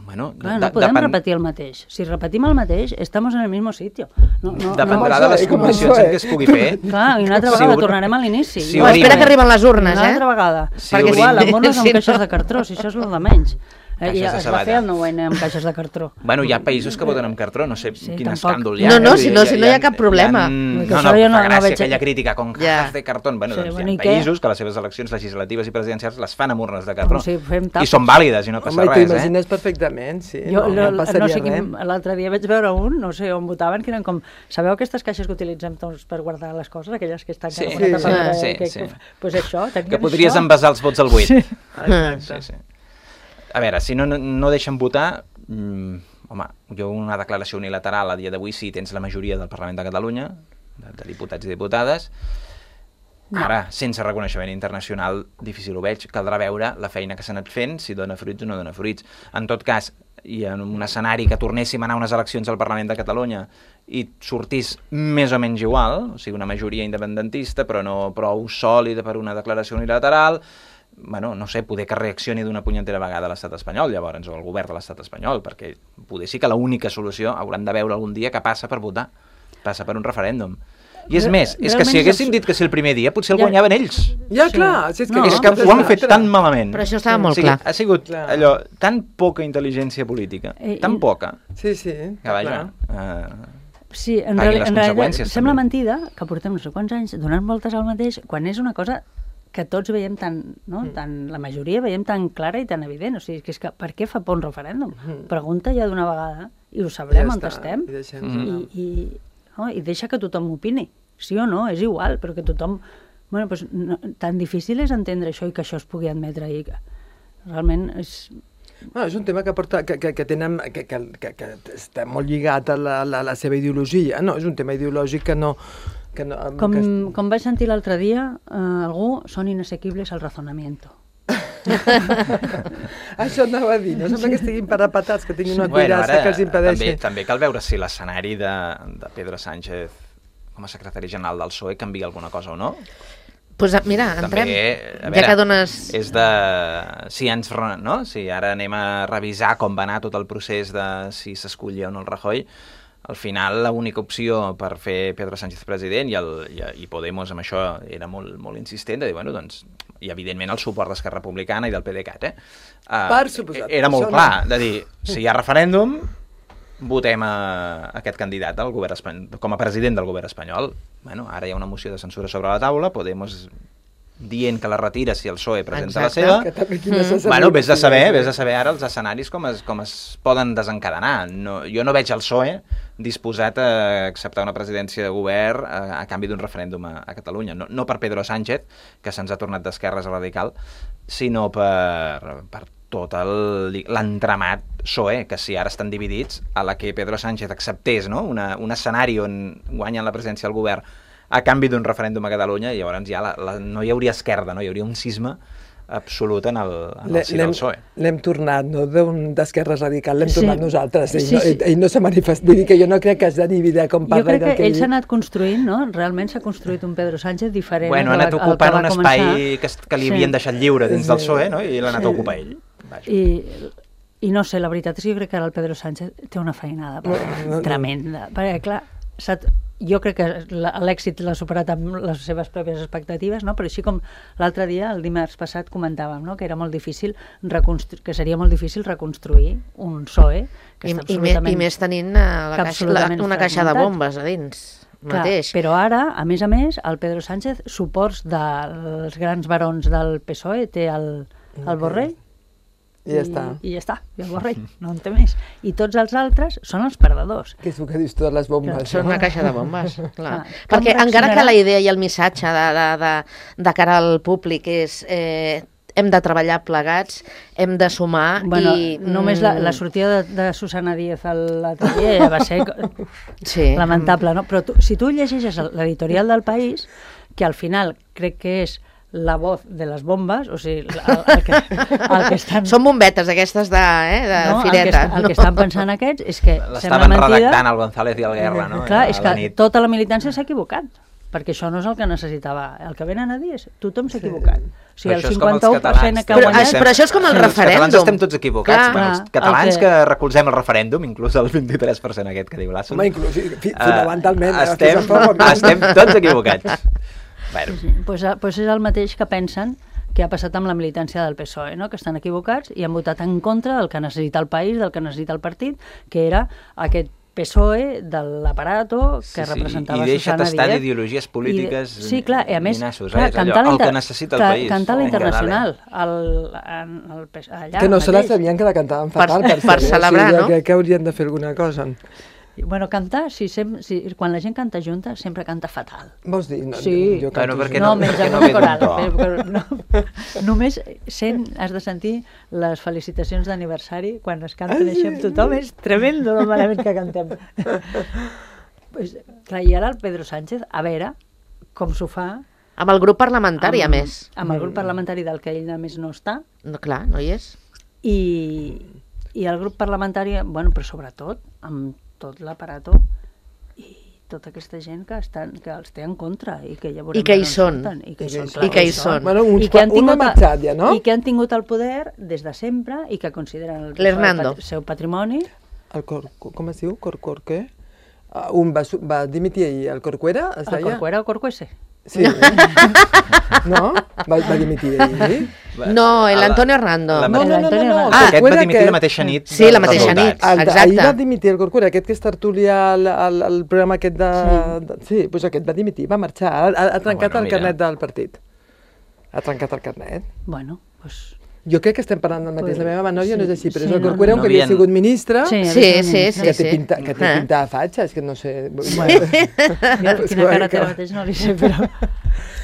[SPEAKER 5] Bueno,
[SPEAKER 3] Clar,
[SPEAKER 5] de-
[SPEAKER 3] no podem
[SPEAKER 5] depen-
[SPEAKER 3] repetir el mateix. Si repetim el mateix, estamos en el mismo sitio. No, no,
[SPEAKER 5] Dependrà
[SPEAKER 3] no.
[SPEAKER 5] de les
[SPEAKER 4] Com
[SPEAKER 5] condicions
[SPEAKER 4] això,
[SPEAKER 5] en què es pugui fer.
[SPEAKER 3] Clar, i una altra
[SPEAKER 5] Si
[SPEAKER 3] vegada
[SPEAKER 5] obri-
[SPEAKER 3] tornarem a l'inici.
[SPEAKER 5] si
[SPEAKER 2] No,
[SPEAKER 5] obrim-
[SPEAKER 2] espera que arriben les urnes,
[SPEAKER 3] Una
[SPEAKER 2] eh?
[SPEAKER 3] altra vegada.
[SPEAKER 5] Si
[SPEAKER 3] Perquè
[SPEAKER 5] obrim-
[SPEAKER 3] igual, amb urnes amb
[SPEAKER 2] Sí,
[SPEAKER 3] caixes
[SPEAKER 2] no.
[SPEAKER 3] de cartró, si això és el de menys. Eh,
[SPEAKER 5] Caixes
[SPEAKER 3] I
[SPEAKER 5] de
[SPEAKER 3] es va
[SPEAKER 5] sabata.
[SPEAKER 3] fer el nou ene amb caixes de cartró.
[SPEAKER 5] Bueno, hi ha països que voten amb cartró, no sé
[SPEAKER 3] Sí,
[SPEAKER 5] quin
[SPEAKER 3] tampoc.
[SPEAKER 5] escàndol hi ha.
[SPEAKER 2] No, no,
[SPEAKER 5] eh?
[SPEAKER 2] si no- si no hi ha cap problema.
[SPEAKER 5] Hi ha, no,
[SPEAKER 3] Que
[SPEAKER 5] no,
[SPEAKER 3] això jo no-
[SPEAKER 5] fa
[SPEAKER 3] no
[SPEAKER 5] gràcia
[SPEAKER 3] veig-
[SPEAKER 5] aquella crítica con
[SPEAKER 2] Ja.
[SPEAKER 5] cajas de cartón. Bueno,
[SPEAKER 3] Sí,
[SPEAKER 5] doncs
[SPEAKER 3] bueno,
[SPEAKER 5] hi
[SPEAKER 3] i
[SPEAKER 5] ha
[SPEAKER 3] què?
[SPEAKER 5] països que les seves eleccions legislatives i presidencials les fan amb urnes de cartró.
[SPEAKER 3] Com si fem
[SPEAKER 5] I
[SPEAKER 3] tapes.
[SPEAKER 5] són vàlides i no passa
[SPEAKER 4] Home, i
[SPEAKER 5] res, eh?
[SPEAKER 4] t'imagines perfectament, sí.
[SPEAKER 3] Jo,
[SPEAKER 4] no, no,
[SPEAKER 3] no,
[SPEAKER 4] passaria
[SPEAKER 3] no sé
[SPEAKER 4] res.
[SPEAKER 3] quin, l'altre dia vaig veure un, no sé on votaven, que eren com, sabeu aquestes caixes que utilitzem tots per guardar les coses, aquelles que estan
[SPEAKER 5] Sí,
[SPEAKER 3] cada una
[SPEAKER 4] sí,
[SPEAKER 3] tapada,
[SPEAKER 5] sí,
[SPEAKER 3] eh, que,
[SPEAKER 5] sí.
[SPEAKER 3] que, pues això,
[SPEAKER 5] Que
[SPEAKER 3] tenien
[SPEAKER 5] podries
[SPEAKER 3] això.
[SPEAKER 5] envasar els vots al buit.
[SPEAKER 3] Sí.
[SPEAKER 5] Sí, sí. A veure, si no, no, no deixen votar, mm, home, jo una declaració unilateral a dia d'avui sí tens la majoria del Parlament de Catalunya, de, de diputats i diputades, Ara, sense reconeixement internacional, difícil ho veig. Caldrà veure la feina que s'ha anat fent, si dona fruits o no dona fruits. En tot cas, i en un escenari que tornéssim a anar a unes eleccions al Parlament de Catalunya i sortís més o menys igual, o sigui, una majoria independentista, però no prou sòlida per una declaració unilateral, bueno, no sé, poder que reaccioni d'una punyetera vegada a l'estat espanyol, llavors, o el govern de l'estat espanyol, perquè poder sí que l'única solució hauran de veure algun dia que passa per votar, passa per un referèndum. I és més, és que si haguéssim dit que sí el primer dia, potser el guanyaven ells.
[SPEAKER 4] Ja, clar. Si és que,
[SPEAKER 5] no, és que ho han fet tan malament.
[SPEAKER 2] Però això estava molt
[SPEAKER 5] o sigui,
[SPEAKER 2] clar.
[SPEAKER 5] Ha sigut clar. allò, tan poca intel·ligència política,
[SPEAKER 3] eh,
[SPEAKER 5] tan poca,
[SPEAKER 4] sí, sí,
[SPEAKER 5] que vaja... Uh,
[SPEAKER 3] sí, en, reali en realitat sembla mentida que portem no sé quants anys donant voltes al mateix, quan és una cosa que tots veiem tan, no? Mm. tan, la majoria veiem tan clara i tan evident. O sigui, que és que per què fa por un referèndum? Mm. Pregunta ja d'una vegada i ho sabrem ja on està. estem. I, mm. I, i, no? I deixa que tothom opini. Sí o no, és igual, però que tothom... Bueno, doncs, no, tan difícil és entendre això i que això es pugui admetre i que realment és...
[SPEAKER 4] Bueno, és un tema que, porta, que, que, que, tenen, que, que, que, que està molt lligat a la, la, la seva ideologia, no? És un tema ideològic que no... Que no
[SPEAKER 3] com,
[SPEAKER 4] que...
[SPEAKER 3] com vaig sentir l'altre dia, eh, algú, són inassequibles al razonamiento.
[SPEAKER 4] Això anava a dir, no sembla que estiguin parapetats, que tinguin una cuirassa bueno, que els impedeixi.
[SPEAKER 5] També, també cal veure si l'escenari de, de Pedro Sánchez com a secretari general del P S O E canvia alguna cosa o no.
[SPEAKER 2] Pues mira, entrem,
[SPEAKER 5] també, veure,
[SPEAKER 2] ja que dones...
[SPEAKER 5] És de... Si, ens, no? si ara anem a revisar com va anar tot el procés de si s'escollia o no el Rajoy, al final l'única opció per fer Pedro Sánchez president i, el, i, i Podemos amb això era molt, molt insistent de dir, bueno, doncs, i evidentment el suport d'Esquerra Republicana i del PDeCAT, eh? Uh,
[SPEAKER 4] per suposat.
[SPEAKER 5] Era molt clar, de dir, si hi ha referèndum, votem a aquest candidat al govern espanyol, com a president del govern espanyol. Bueno, ara hi ha una moció de censura sobre la taula, Podemos dient que la retira si el P S O E presenta Exacte. la seva.
[SPEAKER 4] Que també, mm.
[SPEAKER 5] Bueno, vés de saber, vés de saber ara els escenaris com es, com es poden desencadenar. No, jo no veig el P S O E disposat a acceptar una presidència de govern a, a canvi d'un referèndum a, a Catalunya. No, no per Pedro Sánchez, que se'ns ha tornat d'esquerres a radical, sinó per, per tot l'entramat P S O E, que si ara estan dividits, a la que Pedro Sánchez acceptés, no? Una, un escenari on guanyen la presidència del govern a canvi d'un referèndum a Catalunya, i llavors ja la, la, no hi hauria esquerda, no? Hi hauria un cisma absolut en el, en el si del P S O E.
[SPEAKER 4] L'hem tornat, no d'Esquerra Radical, l'hem
[SPEAKER 3] sí.
[SPEAKER 4] tornat nosaltres. Ell,
[SPEAKER 3] sí,
[SPEAKER 4] no,
[SPEAKER 3] sí.
[SPEAKER 4] ell no s'ha manifestat, vull dir que jo no crec que es dividir com parla.
[SPEAKER 3] Jo crec que,
[SPEAKER 4] que
[SPEAKER 3] ell s'ha anat construint, no? Realment s'ha construït un Pedro Sánchez diferent.
[SPEAKER 5] Bueno, ha anat ocupant un espai que, que li
[SPEAKER 3] sí.
[SPEAKER 5] havien deixat lliure dins sí. del P S O E, no? I l'ha anat sí. a ocupar ell. Vaja.
[SPEAKER 3] I, I no sé, la veritat és que jo crec que ara el Pedro Sánchez té una feinada no, no, no. tremenda. Perquè, clar, jo crec que l'èxit l'ha superat amb les seves pròpies expectatives, no? Però així com l'altre dia, el dimarts passat, comentàvem, no? Que era molt difícil que seria molt difícil reconstruir un P S O E que
[SPEAKER 2] I,
[SPEAKER 3] està
[SPEAKER 2] i,
[SPEAKER 3] absolutament...
[SPEAKER 2] I més tenint la caixa, la, una caixa de bombes a dins.
[SPEAKER 3] Clar,
[SPEAKER 2] mateix.
[SPEAKER 3] Però ara, a més a més, el Pedro Sánchez, suports dels grans barons del P S O E, té el, el Borrell,
[SPEAKER 4] I ja està.
[SPEAKER 3] I, i ja està, i el Borrell, no en té més. I tots els altres són els perdedors.
[SPEAKER 4] Que és el que dius tu de les bombes.
[SPEAKER 2] Que són una caixa de bombes, clar. Ah, perquè encara que la idea i el missatge de, de, de, de cara al públic és eh, hem de treballar plegats, hem de sumar
[SPEAKER 3] bueno,
[SPEAKER 2] i...
[SPEAKER 3] Només la, la sortida de, de Susana Díaz a l'atelier ja va ser
[SPEAKER 2] sí.
[SPEAKER 3] lamentable, no? Però tu, si tu llegeixes l'editorial del País, que al final crec que és la voz de les bombes, o sigui, el, el, que, el que estan...
[SPEAKER 2] Són bombetes aquestes de, eh, de
[SPEAKER 3] no,
[SPEAKER 2] fireta.
[SPEAKER 3] El que, el que estan pensant aquests és que
[SPEAKER 5] l'estaven redactant el González i el Guerra, no?
[SPEAKER 3] Clar, és que tota la militància s'ha equivocat, perquè això no és el que necessitava. El que venen a dir és tothom s'ha equivocat. O sigui, el cinquanta-u per cent que ha guanyat...
[SPEAKER 2] Però això és com el referèndum.
[SPEAKER 5] Els catalans estem tots equivocats. Clar, els catalans que... que recolzem el referèndum, inclús el vint-i-tres per cent aquest que diu l'Asso.
[SPEAKER 4] Home, inclús, fonamentalment.
[SPEAKER 5] Uh, estem, estem tots equivocats. Bueno.
[SPEAKER 3] Sí, sí. Pues, pues és el mateix que pensen que ha passat amb la militància del P S O E, no? Que estan equivocats i han votat en contra del que necessita el país, del que necessita el partit, que era aquest P S O E de l'aparato que
[SPEAKER 5] sí, sí.
[SPEAKER 3] representava
[SPEAKER 5] I deixa
[SPEAKER 3] Susana Díaz.
[SPEAKER 5] tastar d'ideologies polítiques
[SPEAKER 3] I, sí, clar, i a més,
[SPEAKER 5] minassos,
[SPEAKER 3] clar,
[SPEAKER 5] eh? Allò, el que necessita el
[SPEAKER 3] clar,
[SPEAKER 5] país.
[SPEAKER 3] Cantar la
[SPEAKER 5] Oh,
[SPEAKER 3] internacional el, el, el, allà
[SPEAKER 4] que no
[SPEAKER 3] mateix.
[SPEAKER 4] se la sabien que la cantaven fatal
[SPEAKER 2] per, per, per celebrar,
[SPEAKER 4] o sigui,
[SPEAKER 2] no?
[SPEAKER 4] Crec que haurien de fer alguna cosa.
[SPEAKER 3] Bueno, cantar, si sem, si, quan la gent canta junta, sempre canta fatal.
[SPEAKER 4] Vols dir? No,
[SPEAKER 3] sí.
[SPEAKER 4] Jo canto
[SPEAKER 5] bueno,
[SPEAKER 3] no,
[SPEAKER 5] no,
[SPEAKER 3] menys
[SPEAKER 5] no,
[SPEAKER 3] amb
[SPEAKER 5] no
[SPEAKER 3] una coral.
[SPEAKER 5] Però,
[SPEAKER 3] no, només sent, has de sentir les felicitacions d'aniversari quan es canten ah, això amb tothom. És tremendo el malament que cantem. Pues, clar, i ara el Pedro Sánchez, a veure com s'ho fa
[SPEAKER 2] Amb el grup parlamentari,
[SPEAKER 3] amb,
[SPEAKER 2] a més.
[SPEAKER 3] Amb el grup parlamentari del que ell a més no està,
[SPEAKER 2] No, clar, no hi és.
[SPEAKER 3] i, i el grup parlamentari, bueno, però sobretot amb tot l'aparato i tota aquesta gent que, estan, que els té en contra i que ja veurem
[SPEAKER 2] I que hi
[SPEAKER 3] on
[SPEAKER 2] són.
[SPEAKER 3] surten, I que hi són.
[SPEAKER 2] I que hi són.
[SPEAKER 4] Bueno, uns
[SPEAKER 3] I que han
[SPEAKER 4] qua- una
[SPEAKER 3] tingut,
[SPEAKER 4] mitjat ja, no?
[SPEAKER 3] I que han tingut el poder des de sempre i que consideren el
[SPEAKER 2] L'Hernando.
[SPEAKER 3] seu, seu patrimoni.
[SPEAKER 4] El cor, com es diu? Corcor què? Uh, un va, su- va dimitir ahir, el Corcuera, es
[SPEAKER 3] El
[SPEAKER 4] deia?
[SPEAKER 3] Corcuera o Corcuese?
[SPEAKER 4] Sí. No? Va, va dimitir ahir?
[SPEAKER 2] No, el Antonio Hernando.
[SPEAKER 5] La-
[SPEAKER 4] No, no, no, no, no.
[SPEAKER 3] Ah,
[SPEAKER 4] el
[SPEAKER 5] Aquest va
[SPEAKER 4] Corcuera
[SPEAKER 5] dimitir
[SPEAKER 4] aquest-
[SPEAKER 5] la mateixa nit.
[SPEAKER 2] Sí,
[SPEAKER 5] dels
[SPEAKER 2] la mateixa
[SPEAKER 5] resultats.
[SPEAKER 2] nit.
[SPEAKER 4] El, de-
[SPEAKER 2] Exacte.
[SPEAKER 4] ahir va dimitir el Corcuera, aquest que és tertúlia al, al, al programa aquest de... Sí, de, sí doncs aquest va dimitir, va marxar, ha, ha, ha trencat
[SPEAKER 5] bueno,
[SPEAKER 4] el
[SPEAKER 5] mira.
[SPEAKER 4] carnet del partit. Ha trencat el carnet.
[SPEAKER 3] Bueno, doncs...
[SPEAKER 4] Jo crec que estem parlant del mateix.
[SPEAKER 3] Pues,
[SPEAKER 4] La meva menòria
[SPEAKER 3] sí,
[SPEAKER 4] no és així, però
[SPEAKER 3] sí,
[SPEAKER 4] és el
[SPEAKER 3] no,
[SPEAKER 4] Corcuera,
[SPEAKER 5] no.
[SPEAKER 4] un que havia
[SPEAKER 5] No havien-
[SPEAKER 4] sigut ministre,
[SPEAKER 3] Sí,
[SPEAKER 2] Sí, sí, sí.
[SPEAKER 4] que té pinta, que té
[SPEAKER 2] Ah.
[SPEAKER 4] pinta de fatxa, és que no sé...
[SPEAKER 3] Bueno, jo,
[SPEAKER 4] Pues
[SPEAKER 3] quina cara
[SPEAKER 4] guai,
[SPEAKER 3] té
[SPEAKER 4] que-
[SPEAKER 3] ara mateix no li sé, però...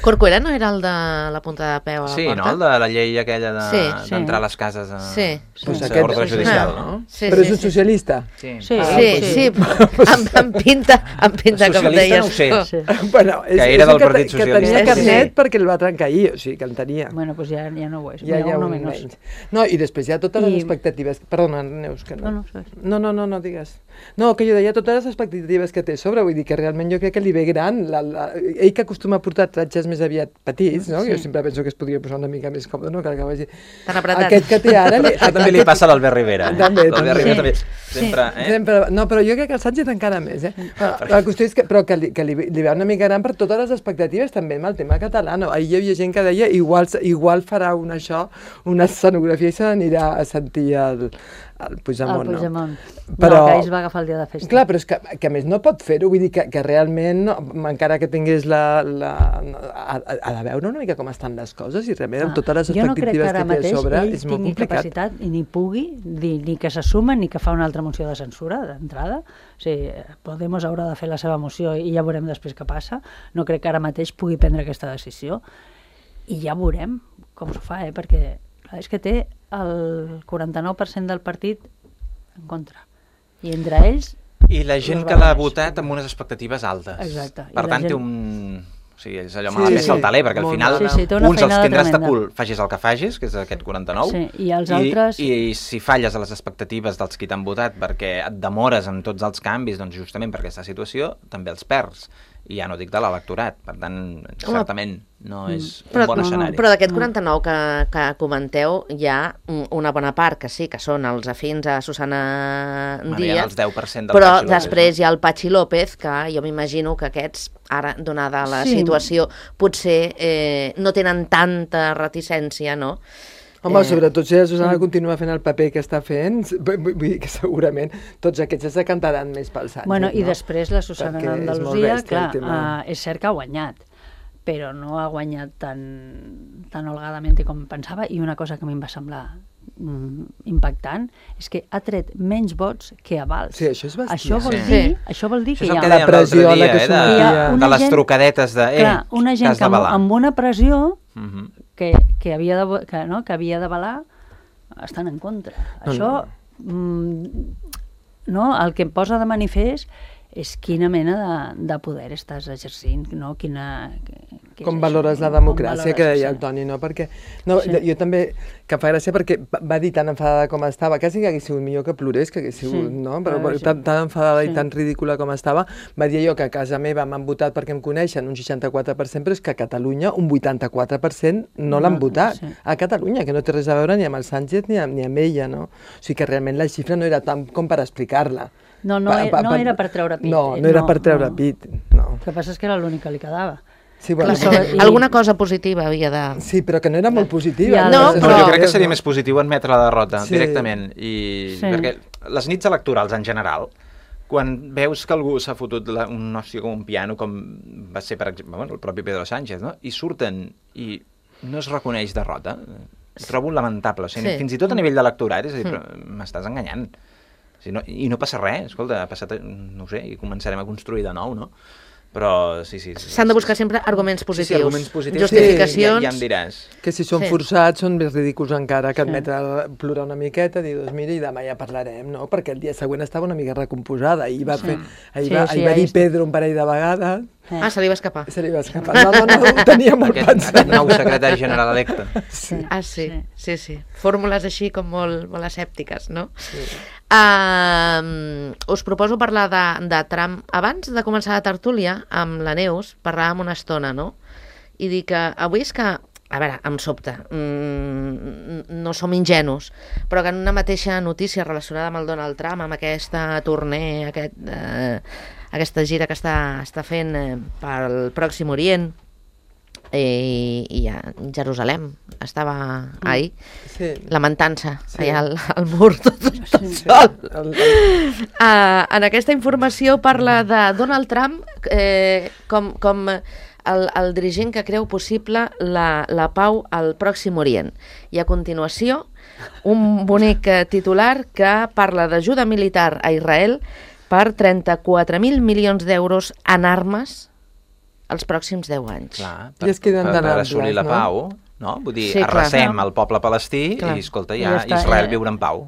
[SPEAKER 2] Corcuera no era el de la punta de peu a la
[SPEAKER 5] Sí,
[SPEAKER 2] porta?
[SPEAKER 5] no? El de la llei aquella de-
[SPEAKER 2] Sí,
[SPEAKER 3] sí.
[SPEAKER 5] d'entrar a les cases a,
[SPEAKER 2] Sí.
[SPEAKER 4] Pues
[SPEAKER 5] sense
[SPEAKER 4] aquest-
[SPEAKER 5] ordre
[SPEAKER 4] sí,
[SPEAKER 5] judicial,
[SPEAKER 2] Ah.
[SPEAKER 5] no?
[SPEAKER 2] Sí,
[SPEAKER 4] Però
[SPEAKER 2] sí,
[SPEAKER 4] és un
[SPEAKER 2] sí.
[SPEAKER 5] Sí.
[SPEAKER 3] Sí,
[SPEAKER 2] Sí,
[SPEAKER 4] Ah,
[SPEAKER 2] sí,
[SPEAKER 4] pues
[SPEAKER 2] sí, amb, amb pinta, amb pinta com
[SPEAKER 5] Socialista
[SPEAKER 2] deies.
[SPEAKER 5] no ho sé.
[SPEAKER 2] tu.
[SPEAKER 3] Sí.
[SPEAKER 4] Bueno, és,
[SPEAKER 5] Que
[SPEAKER 4] és
[SPEAKER 5] era
[SPEAKER 4] un
[SPEAKER 5] del
[SPEAKER 4] que,
[SPEAKER 5] Partit
[SPEAKER 4] te- que tenia
[SPEAKER 5] Socialista.
[SPEAKER 4] carnet
[SPEAKER 2] Sí.
[SPEAKER 4] perquè el va trencar ahir, o sigui, que el tenia.
[SPEAKER 3] Bueno, doncs ja, ja no ho és.
[SPEAKER 4] Ja hi
[SPEAKER 3] Mira,
[SPEAKER 4] ha
[SPEAKER 3] uno
[SPEAKER 4] un
[SPEAKER 3] menos.
[SPEAKER 4] menys. No, i després hi ha totes les
[SPEAKER 3] I-
[SPEAKER 4] expectatives... Perdona, Neus, que no...
[SPEAKER 3] No, no, sabes.
[SPEAKER 4] No, no, no, no digues. No, que jo deia totes les expectatives que té a sobre, vull dir que realment jo crec que li ve gran. La, la, ell que acostuma a portar tratges més aviat petits, no?
[SPEAKER 3] Sí.
[SPEAKER 4] Jo sempre penso que es podria posar una mica més còmode, no? Que el que vagi...
[SPEAKER 2] Tan apretat.
[SPEAKER 4] Aquest que té ara... Li,
[SPEAKER 5] Això també li passa a l'Albert Rivera. eh?
[SPEAKER 4] També,
[SPEAKER 5] L'Albert
[SPEAKER 4] també.
[SPEAKER 5] Rivera també.
[SPEAKER 3] Sí.
[SPEAKER 5] Sempre, eh?
[SPEAKER 4] Sempre, no, però jo crec que el Sánchez encara més, eh? Però, la qüestió és que, però que, li, que li, li ve una mica gran per totes les expectatives també amb el tema català. No? Ahir hi havia gent que deia igual, igual farà un això, una escenografia i se n'anirà a sentir el, el Puigdemont,
[SPEAKER 3] El Puigdemont.
[SPEAKER 4] no?
[SPEAKER 3] Però... No, que ells va agafar el dia de festa.
[SPEAKER 4] Clar, però és que, que a més no pot fer-ho, vull dir que, que realment, no, encara que tingués la... la ha, ha de veure una mica com estan les coses i realment amb totes les
[SPEAKER 3] jo no crec que
[SPEAKER 4] expectatives
[SPEAKER 3] ara
[SPEAKER 4] que, té a
[SPEAKER 3] mateix
[SPEAKER 4] sobre
[SPEAKER 3] ell
[SPEAKER 4] és molt
[SPEAKER 3] tingui
[SPEAKER 4] complicat.
[SPEAKER 3] capacitat i ni pugui dir ni que s'assuma ni que fa una altra moció de censura d'entrada. O sigui, Podemos haurà de fer la seva moció i ja veurem després què passa. No crec que ara mateix pugui prendre aquesta decisió i ja veurem com s'ho fa, eh? Perquè clar, és que té el quaranta-nou per cent del partit en contra. I entre ells...
[SPEAKER 5] I la gent
[SPEAKER 3] els
[SPEAKER 5] que l'ha
[SPEAKER 3] barons.
[SPEAKER 5] votat amb unes expectatives altes.
[SPEAKER 3] Exacte. I
[SPEAKER 5] Per
[SPEAKER 3] la
[SPEAKER 5] tant, té
[SPEAKER 3] gent-
[SPEAKER 5] un... O sigui, és allò
[SPEAKER 4] Sí,
[SPEAKER 5] amb la
[SPEAKER 4] sí,
[SPEAKER 5] peça al taler, perquè al
[SPEAKER 4] molt
[SPEAKER 5] final
[SPEAKER 4] mala.
[SPEAKER 3] Sí, sí, té una
[SPEAKER 5] uns els
[SPEAKER 3] feinada
[SPEAKER 5] tindràs de
[SPEAKER 3] tremenda.
[SPEAKER 5] cul, facis el que facis, que és aquest quaranta-nou,
[SPEAKER 3] Sí, i els altres-
[SPEAKER 5] I, i si falles a les expectatives dels qui t'han votat perquè et demores en tots els canvis, doncs justament per aquesta situació, també els perds. I ja no dic de l'electorat, per tant, certament no és un
[SPEAKER 2] Però,
[SPEAKER 5] bon escenari.
[SPEAKER 2] però d'aquest quaranta-nou que, que comenteu, hi ha un- una bona part que sí, que són els afins a Susana
[SPEAKER 5] Bueno, hi ha
[SPEAKER 2] Díaz,
[SPEAKER 5] els deu per cent del
[SPEAKER 2] però
[SPEAKER 5] Patxi López,
[SPEAKER 2] després
[SPEAKER 5] no?
[SPEAKER 2] hi ha el Patxi López, que jo m'imagino que aquests, ara, donada la
[SPEAKER 3] Sí.
[SPEAKER 2] situació, potser eh, no tenen tanta reticència, no?
[SPEAKER 4] Home,
[SPEAKER 2] Eh,
[SPEAKER 4] sobretot si la Susana continua fent el paper que està fent, vull vull dir que segurament tots aquests es decantaran més pel Sánchez,
[SPEAKER 3] Bueno, i
[SPEAKER 4] no?
[SPEAKER 3] després la Susana
[SPEAKER 4] Perquè és molt
[SPEAKER 3] d'Andalusia,
[SPEAKER 4] bèstia
[SPEAKER 3] clar,
[SPEAKER 4] el tema.
[SPEAKER 3] uh, és cert que ha guanyat, però no ha guanyat tan, tan holgadament com pensava, i una cosa que a mi em va semblar mm, impactant és que ha tret menys vots que avals.
[SPEAKER 4] Sí, això és bestial.
[SPEAKER 3] Això vol
[SPEAKER 5] Sí.
[SPEAKER 3] dir,
[SPEAKER 2] Sí.
[SPEAKER 3] això vol dir
[SPEAKER 5] Això
[SPEAKER 3] que
[SPEAKER 5] és
[SPEAKER 3] hi
[SPEAKER 5] el
[SPEAKER 3] ha...
[SPEAKER 5] que
[SPEAKER 4] La
[SPEAKER 5] dèiem l'altre
[SPEAKER 4] pressió a la
[SPEAKER 5] dia,
[SPEAKER 4] que
[SPEAKER 5] eh,
[SPEAKER 4] s'ometia.
[SPEAKER 5] de,
[SPEAKER 3] Hi ha
[SPEAKER 5] de
[SPEAKER 3] una
[SPEAKER 5] les
[SPEAKER 3] gent-
[SPEAKER 5] trucadetes de... Eh,
[SPEAKER 3] Clar, una
[SPEAKER 5] que
[SPEAKER 3] gent
[SPEAKER 5] has
[SPEAKER 3] que amb,
[SPEAKER 5] d'avalar.
[SPEAKER 3] amb una pressió
[SPEAKER 5] Mhm.
[SPEAKER 3] que, que havia de, que, no, que havia d'avalar estan en contra.
[SPEAKER 4] No,
[SPEAKER 3] Això, mm, no, el que em posa de manifest és quina mena de, de poder estàs exercint, no? Quina, que,
[SPEAKER 4] Com
[SPEAKER 3] és
[SPEAKER 4] valores
[SPEAKER 3] això,
[SPEAKER 4] la
[SPEAKER 3] com
[SPEAKER 4] democràcia,
[SPEAKER 3] valores,
[SPEAKER 4] que deia
[SPEAKER 3] sí.
[SPEAKER 4] el Toni, no? Perquè no,
[SPEAKER 3] Sí.
[SPEAKER 4] jo també, que fa gràcia perquè va- va dir tan enfadada com estava, quasi que hagués sigut millor que plorés, que hagués sigut,
[SPEAKER 3] Sí,
[SPEAKER 4] no? Però
[SPEAKER 3] clar, sí.
[SPEAKER 4] tan, tan enfadada
[SPEAKER 3] Sí.
[SPEAKER 4] i tan ridícula com estava, va dir allò que a casa meva m'han votat perquè em coneixen un seixanta-quatre per cent, però és que a Catalunya un vuitanta-quatre per cent no l'han
[SPEAKER 3] No,
[SPEAKER 4] votat.
[SPEAKER 3] sí.
[SPEAKER 4] A Catalunya, que no té res a veure ni amb el Sánchez ni amb, ni amb ella, no? O sigui que realment la xifra no era tant com per explicar-la.
[SPEAKER 3] No, no,
[SPEAKER 4] Pa-
[SPEAKER 3] e-
[SPEAKER 4] pa-
[SPEAKER 3] no
[SPEAKER 4] pa-
[SPEAKER 3] era per treure pit.
[SPEAKER 4] No,
[SPEAKER 3] eh,
[SPEAKER 4] no era
[SPEAKER 3] no,
[SPEAKER 4] per treure
[SPEAKER 3] no.
[SPEAKER 4] pit, no.
[SPEAKER 3] El que passa és que era l'únic que li quedava.
[SPEAKER 4] Sí, bueno,
[SPEAKER 3] Clar, sobre- i-
[SPEAKER 2] Alguna cosa positiva havia de...
[SPEAKER 4] sí, però que no era molt positiva.
[SPEAKER 3] Ja,
[SPEAKER 2] No,
[SPEAKER 5] No,
[SPEAKER 2] però-
[SPEAKER 5] jo crec que seria més positiu admetre la derrota
[SPEAKER 4] Sí.
[SPEAKER 5] directament. I...
[SPEAKER 3] Sí.
[SPEAKER 5] Perquè les nits electorals en general, quan veus que algú s'ha fotut la, un hòstia com un piano, com va ser, per exemple, bueno, el propi Pedro Sánchez, no? I surten i no es reconeix derrota, ho trobo lamentable. O sigui,
[SPEAKER 2] Sí.
[SPEAKER 5] fins i tot a nivell d'electorat, és a dir, però m'estàs enganyant. O sigui, no, I no passa res, escolta, ha passat, no ho sé, i començarem a construir de nou, no? Però sí, sí. sí
[SPEAKER 2] S'han de buscar sempre arguments
[SPEAKER 5] Sí,
[SPEAKER 2] positius.
[SPEAKER 5] sí, arguments positius.
[SPEAKER 2] Justificacions.
[SPEAKER 5] Ja, ja em diràs.
[SPEAKER 4] Que si són
[SPEAKER 2] Sí.
[SPEAKER 4] forçats són més ridículs encara que
[SPEAKER 3] Sí.
[SPEAKER 4] admetre plorar una miqueta, dir, doncs mira, i demà ja parlarem, no? Perquè el dia següent estava una mica recomposada, i va,
[SPEAKER 3] Sí.
[SPEAKER 4] fer, ahir
[SPEAKER 3] Sí,
[SPEAKER 4] va,
[SPEAKER 3] sí,
[SPEAKER 4] ahir va
[SPEAKER 3] ahí
[SPEAKER 4] dir
[SPEAKER 3] està.
[SPEAKER 4] Pedro un parell de vegades,
[SPEAKER 3] Eh.
[SPEAKER 2] Ah, se li va escapar.
[SPEAKER 4] Se li va escapar. No, no, no, ho tenia molt
[SPEAKER 5] Aquest,
[SPEAKER 4] pensat.
[SPEAKER 5] aquest nou secretari general electe.
[SPEAKER 3] Sí.
[SPEAKER 2] Ah, sí,
[SPEAKER 3] Sí.
[SPEAKER 2] sí, sí. Fórmules així com molt, molt escèptiques, no?
[SPEAKER 4] Sí.
[SPEAKER 2] Uh, us proposo parlar de, de Trump. Abans de començar la tertúlia, amb la Neus, parlàvem una estona, no? I dic que avui és que, a veure, em sobta, mm, no som ingenus, però que en una mateixa notícia relacionada amb el Donald Trump, amb aquesta tournée, aquest, eh, aquesta gira que està, està fent eh, pel Pròxim Orient, i, i a Jerusalem estava ahir,
[SPEAKER 4] Sí.
[SPEAKER 2] lamentant-se
[SPEAKER 4] Sí.
[SPEAKER 2] allà al, al mur tot, tot
[SPEAKER 3] Sí.
[SPEAKER 2] sol.
[SPEAKER 4] El, el,
[SPEAKER 2] Uh, en aquesta informació parla de Donald Trump eh, com, com el, el dirigent que creu possible la, la pau al Pròxim Orient. I a continuació, un bonic eh, titular que parla d'ajuda militar a Israel per trenta-quatre mil milions d'euros en armes els pròxims deu anys.
[SPEAKER 5] Clar,
[SPEAKER 4] I es queden
[SPEAKER 5] per,
[SPEAKER 4] tan
[SPEAKER 5] per
[SPEAKER 4] amples,
[SPEAKER 5] assolir la
[SPEAKER 4] no?
[SPEAKER 5] pau, no? Vull dir,
[SPEAKER 2] Sí, clar.
[SPEAKER 5] arrasem el poble palestí
[SPEAKER 2] Clar.
[SPEAKER 5] i, escolta,
[SPEAKER 3] I
[SPEAKER 5] ja,
[SPEAKER 3] ja està,
[SPEAKER 5] Israel
[SPEAKER 3] ja.
[SPEAKER 5] viurà en pau.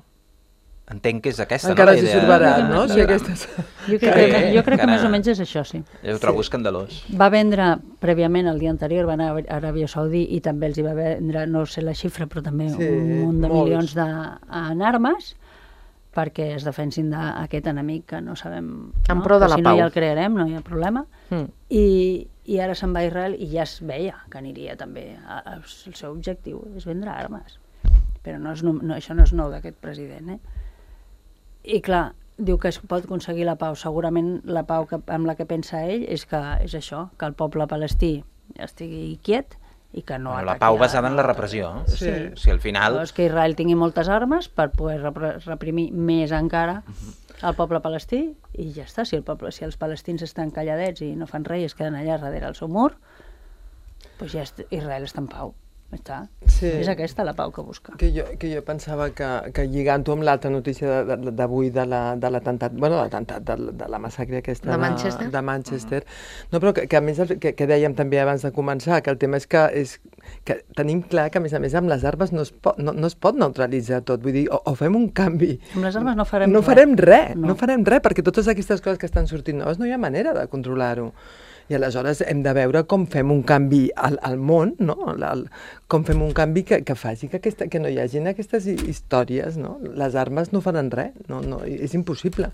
[SPEAKER 5] Entenc que és aquesta,
[SPEAKER 4] encara
[SPEAKER 5] no?
[SPEAKER 4] s'hi
[SPEAKER 5] la idea
[SPEAKER 4] sorbarà,
[SPEAKER 5] de-
[SPEAKER 4] no?
[SPEAKER 5] de-
[SPEAKER 4] Si aquestes...
[SPEAKER 3] Jo crec,
[SPEAKER 5] Sí,
[SPEAKER 3] que, jo crec que
[SPEAKER 5] encara-
[SPEAKER 3] més o menys és això, sí.
[SPEAKER 5] Jo ho trobo escandalós.
[SPEAKER 3] Va vendre prèviament, el dia anterior, va anar a Aràbia Saudí i també els hi va vendre, no sé la xifra, però també
[SPEAKER 4] Sí,
[SPEAKER 3] un munt de
[SPEAKER 4] molts.
[SPEAKER 3] milions de, en armes perquè es defensin d'aquest enemic que no sabem...
[SPEAKER 2] En
[SPEAKER 3] no?
[SPEAKER 2] pro de
[SPEAKER 3] Que
[SPEAKER 2] la
[SPEAKER 3] si no
[SPEAKER 2] pau.
[SPEAKER 3] ja el crearem, no hi ha problema.
[SPEAKER 2] Mm.
[SPEAKER 3] I, i ara se'n va a Israel i ja es veia que aniria també. A, a, el seu objectiu és vendre armes. Però no és, no, no, això no és nou d'aquest president, eh? I clar, diu que es pot aconseguir la pau. Segurament la pau que, amb la que pensa ell és que és això, que el poble palestí estigui quiet i que no
[SPEAKER 5] Bueno, la
[SPEAKER 3] ataqui
[SPEAKER 5] pau
[SPEAKER 3] a-
[SPEAKER 5] basada en la repressió.
[SPEAKER 4] Sí.
[SPEAKER 5] O sigui, al final...
[SPEAKER 3] Llavors que Israel tingui moltes armes per poder repre- reprimir més encara el poble palestí i ja està. Si, el poble, si els palestins estan calladets i no fan res i es queden allà darrere el seu mur, doncs ja est Israel està en pau. Està.
[SPEAKER 4] Sí.
[SPEAKER 3] És aquesta la pau que busca.
[SPEAKER 4] Que jo, que jo pensava que, que lligant-ho amb l'altra notícia de- de- d'avui de la- de l'atemptat, bueno, l'atemptat, de, la- de la massacre aquesta
[SPEAKER 2] De Manchester?
[SPEAKER 4] de Manchester. No, però que, que a més, el- que, que dèiem també abans de començar, que el tema és que, és que tenim clar que, a més a més, amb les armes no es pot, no, no es pot neutralitzar tot. Vull dir, o, o fem un canvi...
[SPEAKER 3] Amb les armes no farem
[SPEAKER 4] no
[SPEAKER 3] res.
[SPEAKER 4] farem res. No.
[SPEAKER 3] No.
[SPEAKER 4] no farem res, perquè totes aquestes coses que estan sortint noves no hi ha manera de controlar-ho. I aleshores hem de veure com fem un canvi al, al món, no? El, com fem un canvi que, que faci que, aquesta, que no hi hagin aquestes hi- històries, no? Les armes no faran res, no, no, és impossible.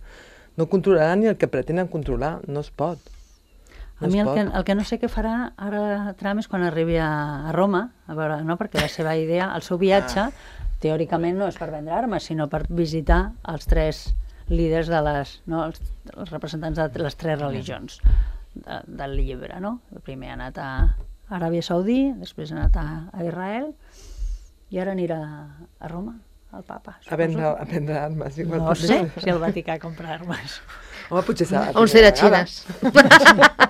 [SPEAKER 4] No controlaran ni el que pretenen controlar, no es pot.
[SPEAKER 3] A
[SPEAKER 4] No
[SPEAKER 3] mi
[SPEAKER 4] es
[SPEAKER 3] el que,
[SPEAKER 4] pot.
[SPEAKER 3] el que no sé què farà ara Trump és quan arribi a, a Roma, a veure, no? Perquè la seva idea, el seu viatge, teòricament no és per vendre armes, sinó per visitar els tres líders de les, no? els, els representants de les tres religions de, del llibre, no? Primer ha anat a Aràbia Saudí, després ha anat a, a Israel i ara anirà a Roma, al papa.
[SPEAKER 4] A vendre,
[SPEAKER 3] suposo.
[SPEAKER 4] a vendre armes. Igual
[SPEAKER 3] No
[SPEAKER 4] potser-
[SPEAKER 3] sé si el Vaticà compra armes.
[SPEAKER 4] Home, potser serà la
[SPEAKER 2] On serà
[SPEAKER 4] primera
[SPEAKER 2] xines?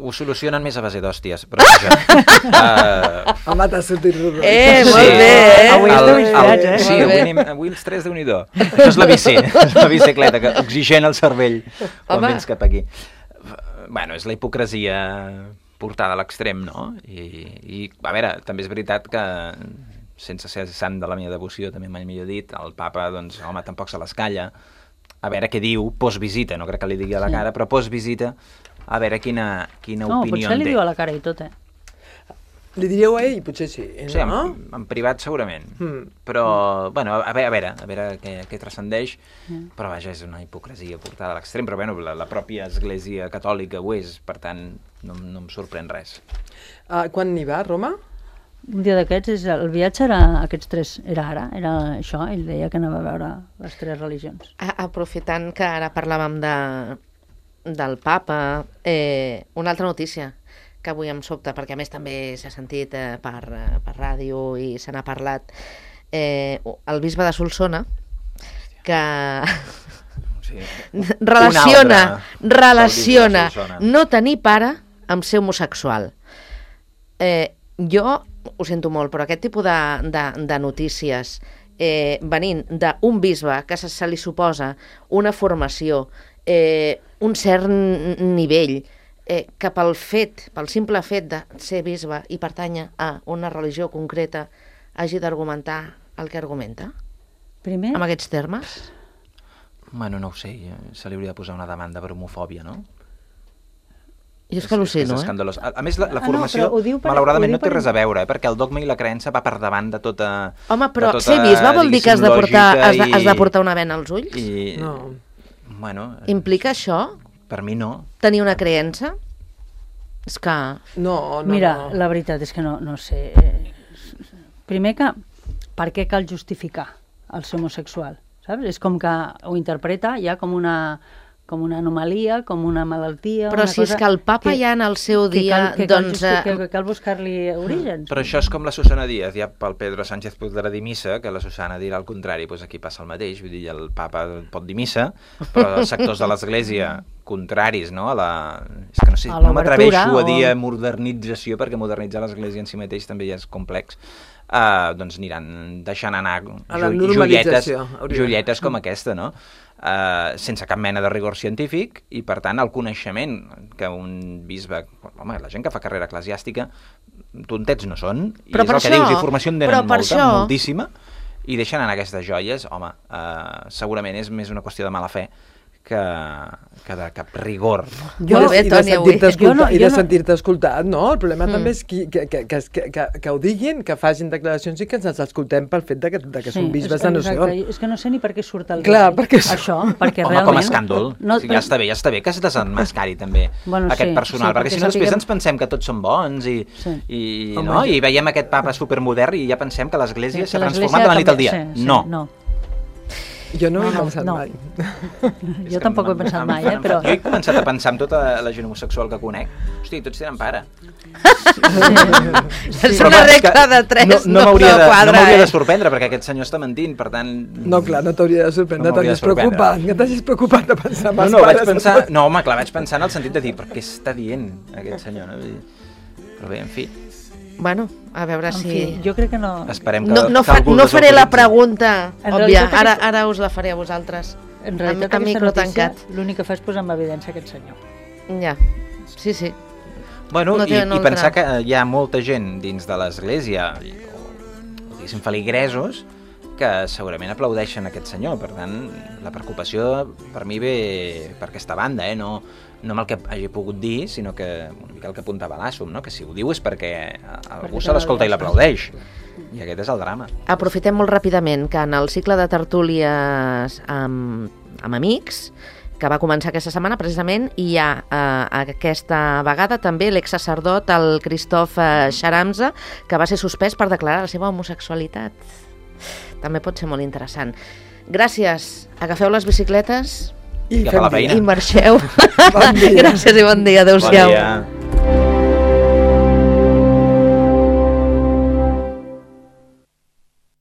[SPEAKER 5] Ho solucionen més a base d'hòsties, però això... uh,
[SPEAKER 4] vegada. Home, t'ha sortit rodó.
[SPEAKER 2] Eh, molt bé, eh?
[SPEAKER 3] Avui esteu inspirats, eh?
[SPEAKER 5] Sí,
[SPEAKER 2] Molt
[SPEAKER 5] avui,
[SPEAKER 2] bé.
[SPEAKER 5] anem, avui els tres, Déu-n'hi-do. Això és la bici, és la bicicleta, que oxigena el cervell quan
[SPEAKER 2] Home.
[SPEAKER 5] vens cap aquí. Bueno, és la hipocresia portada a l'extrem, no? I, I, a veure, també és veritat que, sense ser sant de la meva devoció, també mai millor dit, el papa, doncs, home, tampoc se l'escalla. A veure què diu postvisita, no crec que li digui a la
[SPEAKER 3] Sí.
[SPEAKER 5] cara, però postvisita, a veure quina, quina
[SPEAKER 3] No,
[SPEAKER 5] opinió
[SPEAKER 3] potser li
[SPEAKER 5] en té.
[SPEAKER 3] diu a la cara i tot, eh?
[SPEAKER 4] Li diríeu a ell? Potser sí,
[SPEAKER 5] Sí, en,
[SPEAKER 4] no?
[SPEAKER 5] en privat segurament,
[SPEAKER 4] Mm.
[SPEAKER 5] però, bueno, a veure, a veure, a veure què, què transcendeix,
[SPEAKER 3] Mm.
[SPEAKER 5] però vaja, és una hipocresia portada a l'extrem, però bueno, la, la pròpia Església Catòlica ho és, per tant, no, no em sorprèn res.
[SPEAKER 4] Uh, quan n'hi va, a Roma?
[SPEAKER 3] Un dia d'aquests, és- el viatge era aquests tres, era ara, era això, ell deia que anava a veure les tres religions.
[SPEAKER 2] A- Aprofitant que ara parlàvem de, del papa, eh, una altra notícia que avui em sobta, perquè a més també s'ha sentit eh, per, eh, per ràdio i se n'ha parlat, eh, el bisbe de Solsona, que
[SPEAKER 5] Sí.
[SPEAKER 2] relaciona,
[SPEAKER 5] Una obra
[SPEAKER 2] relaciona
[SPEAKER 5] del bisbe de Solsona.
[SPEAKER 2] no tenir pare amb ser homosexual. Eh, jo ho sento molt, però aquest tipus de, de, de notícies eh, venint d'un bisbe que se, se li suposa una formació, eh, un cert n- nivell, eh, que pel fet, pel simple fet de ser bisbe i pertànyer a una religió concreta, hagi d'argumentar el que argumenta,
[SPEAKER 3] Primer,
[SPEAKER 2] amb aquests termes?
[SPEAKER 5] Bueno, no ho sé, se li hauria de posar una demanda per homofòbia, no?
[SPEAKER 2] Jo és que al·lucino,
[SPEAKER 5] és
[SPEAKER 2] eh?
[SPEAKER 5] escandalós. A, a més, la, la
[SPEAKER 3] Ah, no,
[SPEAKER 5] formació,
[SPEAKER 3] però ho diu per-
[SPEAKER 5] malauradament,
[SPEAKER 3] ho diu
[SPEAKER 5] no té
[SPEAKER 3] per-
[SPEAKER 5] res a veure, eh? perquè el dogma i la creença va per davant de tota...
[SPEAKER 2] Home, però
[SPEAKER 5] de tota,
[SPEAKER 2] ser bisbe vol dir que has de portar,
[SPEAKER 5] diguéssim,
[SPEAKER 2] has de, has de
[SPEAKER 5] lògica
[SPEAKER 2] portar una vena als ulls?
[SPEAKER 5] I, i,
[SPEAKER 4] No.
[SPEAKER 5] Bueno,
[SPEAKER 2] Implica això?
[SPEAKER 5] per mi no.
[SPEAKER 2] Tenir una creença? És que...
[SPEAKER 4] No, no,
[SPEAKER 3] Mira,
[SPEAKER 4] no.
[SPEAKER 3] la veritat és que no, no sé. eh, Primer que, per què cal justificar el ser homosexual? Saps? És com que ho interpreta ja com una, com una anomalia, com una malaltia...
[SPEAKER 2] Però
[SPEAKER 3] una
[SPEAKER 2] si
[SPEAKER 3] cosa
[SPEAKER 2] és que el papa ja en el seu
[SPEAKER 3] que
[SPEAKER 2] dia,
[SPEAKER 3] cal, que cal,
[SPEAKER 2] doncs...
[SPEAKER 3] justi-
[SPEAKER 2] eh,
[SPEAKER 3] que, que cal buscar-li orígens.
[SPEAKER 5] Però això és com la Susana Díaz, ja pel Pedro Sánchez podrà dir missa, que la Susana dirà el contrari, doncs aquí passa el mateix, vull dir, el papa pot dir missa, però els sectors de l'Església contraris, no? A la... És que no sé,
[SPEAKER 3] A
[SPEAKER 5] no
[SPEAKER 3] l'obertura,
[SPEAKER 5] m'atreveixo a dir
[SPEAKER 3] o-
[SPEAKER 5] modernització, perquè modernitzar l'Església en si mateix també ja és complex, uh, doncs aniran deixant anar
[SPEAKER 4] A la
[SPEAKER 5] jo-
[SPEAKER 4] normalització,
[SPEAKER 5] joietes,
[SPEAKER 4] hauria.
[SPEAKER 5] joietes com aquesta, no? Uh, sense cap mena de rigor científic, i per tant el coneixement que un bisbe, home, la gent que fa carrera eclesiàstica tontets no són, i
[SPEAKER 2] Però
[SPEAKER 5] és
[SPEAKER 2] per
[SPEAKER 5] el que
[SPEAKER 2] això-
[SPEAKER 5] dius, i formació en
[SPEAKER 2] però
[SPEAKER 5] tenen
[SPEAKER 2] per
[SPEAKER 5] molta,
[SPEAKER 2] això-
[SPEAKER 5] moltíssima, i deixen anar aquestes joies, home, uh, segurament és més una qüestió de mala fe que, que de cap rigor.
[SPEAKER 2] Jo, Molt bé,
[SPEAKER 4] I de
[SPEAKER 2] Toni, avui.
[SPEAKER 4] sentir-te
[SPEAKER 3] Jo no-
[SPEAKER 4] escolta- i
[SPEAKER 3] jo
[SPEAKER 4] de
[SPEAKER 3] no-
[SPEAKER 4] sentir-te escoltat, no? El problema
[SPEAKER 2] Mm.
[SPEAKER 4] també és qui, que, que, que, que, que, que ho diguin, que facin declaracions i que ens els escoltem pel fet de que, de que són bisbes de no sé on.
[SPEAKER 3] És que no sé ni per què surt el
[SPEAKER 4] Clar,
[SPEAKER 3] dia.
[SPEAKER 4] perquè és-
[SPEAKER 3] Això, perquè
[SPEAKER 5] Home,
[SPEAKER 3] realment...
[SPEAKER 5] com a escàndol.
[SPEAKER 3] No,
[SPEAKER 5] O sigui, ja està bé, ja està bé que es desenmascari també
[SPEAKER 3] Bueno,
[SPEAKER 5] aquest
[SPEAKER 3] sí,
[SPEAKER 5] personal,
[SPEAKER 3] sí,
[SPEAKER 5] perquè
[SPEAKER 3] perquè
[SPEAKER 5] si no després
[SPEAKER 3] sapiguem-
[SPEAKER 5] ens pensem que tots són bons i,
[SPEAKER 3] Sí.
[SPEAKER 5] i,
[SPEAKER 4] Home,
[SPEAKER 5] no?
[SPEAKER 4] ja.
[SPEAKER 5] I veiem aquest papa supermodern i ja pensem que l'Església
[SPEAKER 3] que
[SPEAKER 5] s'ha
[SPEAKER 3] l'Església
[SPEAKER 5] transformat de la nit al dia.
[SPEAKER 3] canvia- sí, sí,
[SPEAKER 5] no.
[SPEAKER 3] no.
[SPEAKER 4] Jo no,
[SPEAKER 3] No,
[SPEAKER 4] ho he
[SPEAKER 3] no,
[SPEAKER 4] pensat
[SPEAKER 3] no.
[SPEAKER 4] mai.
[SPEAKER 5] És
[SPEAKER 3] Jo
[SPEAKER 5] que
[SPEAKER 3] tampoc ho he
[SPEAKER 5] em-
[SPEAKER 3] pensat
[SPEAKER 5] em-
[SPEAKER 3] mai, eh,
[SPEAKER 5] em-
[SPEAKER 3] però...
[SPEAKER 5] Jo he començat a pensar en tota la gent homosexual que conec. Hosti, tots tenen pare.
[SPEAKER 2] És
[SPEAKER 5] Però
[SPEAKER 2] una
[SPEAKER 5] clar, és que
[SPEAKER 2] regla de tres,
[SPEAKER 5] no, no, m'hauria de,
[SPEAKER 2] quadra,
[SPEAKER 5] no m'hauria
[SPEAKER 2] eh?
[SPEAKER 5] de sorprendre, perquè aquest senyor està mentint, per tant...
[SPEAKER 4] No, clar, no t'hauria de sorprendre,
[SPEAKER 5] No m'hauria
[SPEAKER 4] t'hauries
[SPEAKER 5] de sorprendre.
[SPEAKER 4] preocupat, que t'hagis preocupat de pensar en
[SPEAKER 5] No,
[SPEAKER 4] els
[SPEAKER 5] no, vaig
[SPEAKER 4] pares.
[SPEAKER 5] pensar... No, home, clar, vaig pensar en el sentit de dir, però què està dient aquest senyor? No? Vull dir, però bé, en fi,
[SPEAKER 2] Bueno, a veure
[SPEAKER 3] En
[SPEAKER 2] si...
[SPEAKER 3] fi, jo crec que no...
[SPEAKER 5] esperem que,
[SPEAKER 2] No, no,
[SPEAKER 5] que
[SPEAKER 2] fa,
[SPEAKER 5] algú
[SPEAKER 2] no
[SPEAKER 5] els
[SPEAKER 2] faré la
[SPEAKER 5] autoritzi.
[SPEAKER 2] pregunta
[SPEAKER 3] En
[SPEAKER 2] òbvia,
[SPEAKER 3] realitat
[SPEAKER 2] ara,
[SPEAKER 3] aquest-
[SPEAKER 2] ara us la faré a vosaltres.
[SPEAKER 3] En realitat,
[SPEAKER 2] Amb- amb
[SPEAKER 3] aquesta
[SPEAKER 2] micro
[SPEAKER 3] notícia
[SPEAKER 2] tancat.
[SPEAKER 3] l'únic que fa és posar en evidència aquest senyor.
[SPEAKER 2] Ja, sí, sí.
[SPEAKER 5] Bueno,
[SPEAKER 2] No
[SPEAKER 5] i,
[SPEAKER 2] tenen
[SPEAKER 5] i
[SPEAKER 2] altra.
[SPEAKER 5] pensar que hi ha molta gent dins de l'Església, o, o diguéssim, feligresos, que segurament aplaudeixen aquest senyor. Per tant, la preocupació per mi ve per aquesta banda, eh? no, no amb el que hagi pogut dir, sinó que una mica el que apuntava l'Assum, no? Que si ho diu és perquè algú
[SPEAKER 3] Perquè
[SPEAKER 5] se l'escolta i
[SPEAKER 3] l'aplaudeix.
[SPEAKER 5] l'aplaudeix. I aquest és el drama.
[SPEAKER 2] Aprofitem molt ràpidament que en el cicle de tertúlies amb, amb amics, que va començar aquesta setmana precisament, hi ha eh, aquesta vegada també l'exsacerdot, el Christophe eh, Charamza, que va ser suspès per declarar la seva homosexualitat. També pot ser molt interessant. Gràcies. Agafeu les bicicletes
[SPEAKER 4] I
[SPEAKER 5] Cap a
[SPEAKER 4] fem
[SPEAKER 5] la
[SPEAKER 4] dia.
[SPEAKER 5] feina.
[SPEAKER 2] i marxeu.
[SPEAKER 4] Bon dia.
[SPEAKER 2] Gràcies i bon dia. Adéu-siau.
[SPEAKER 5] Bon dia.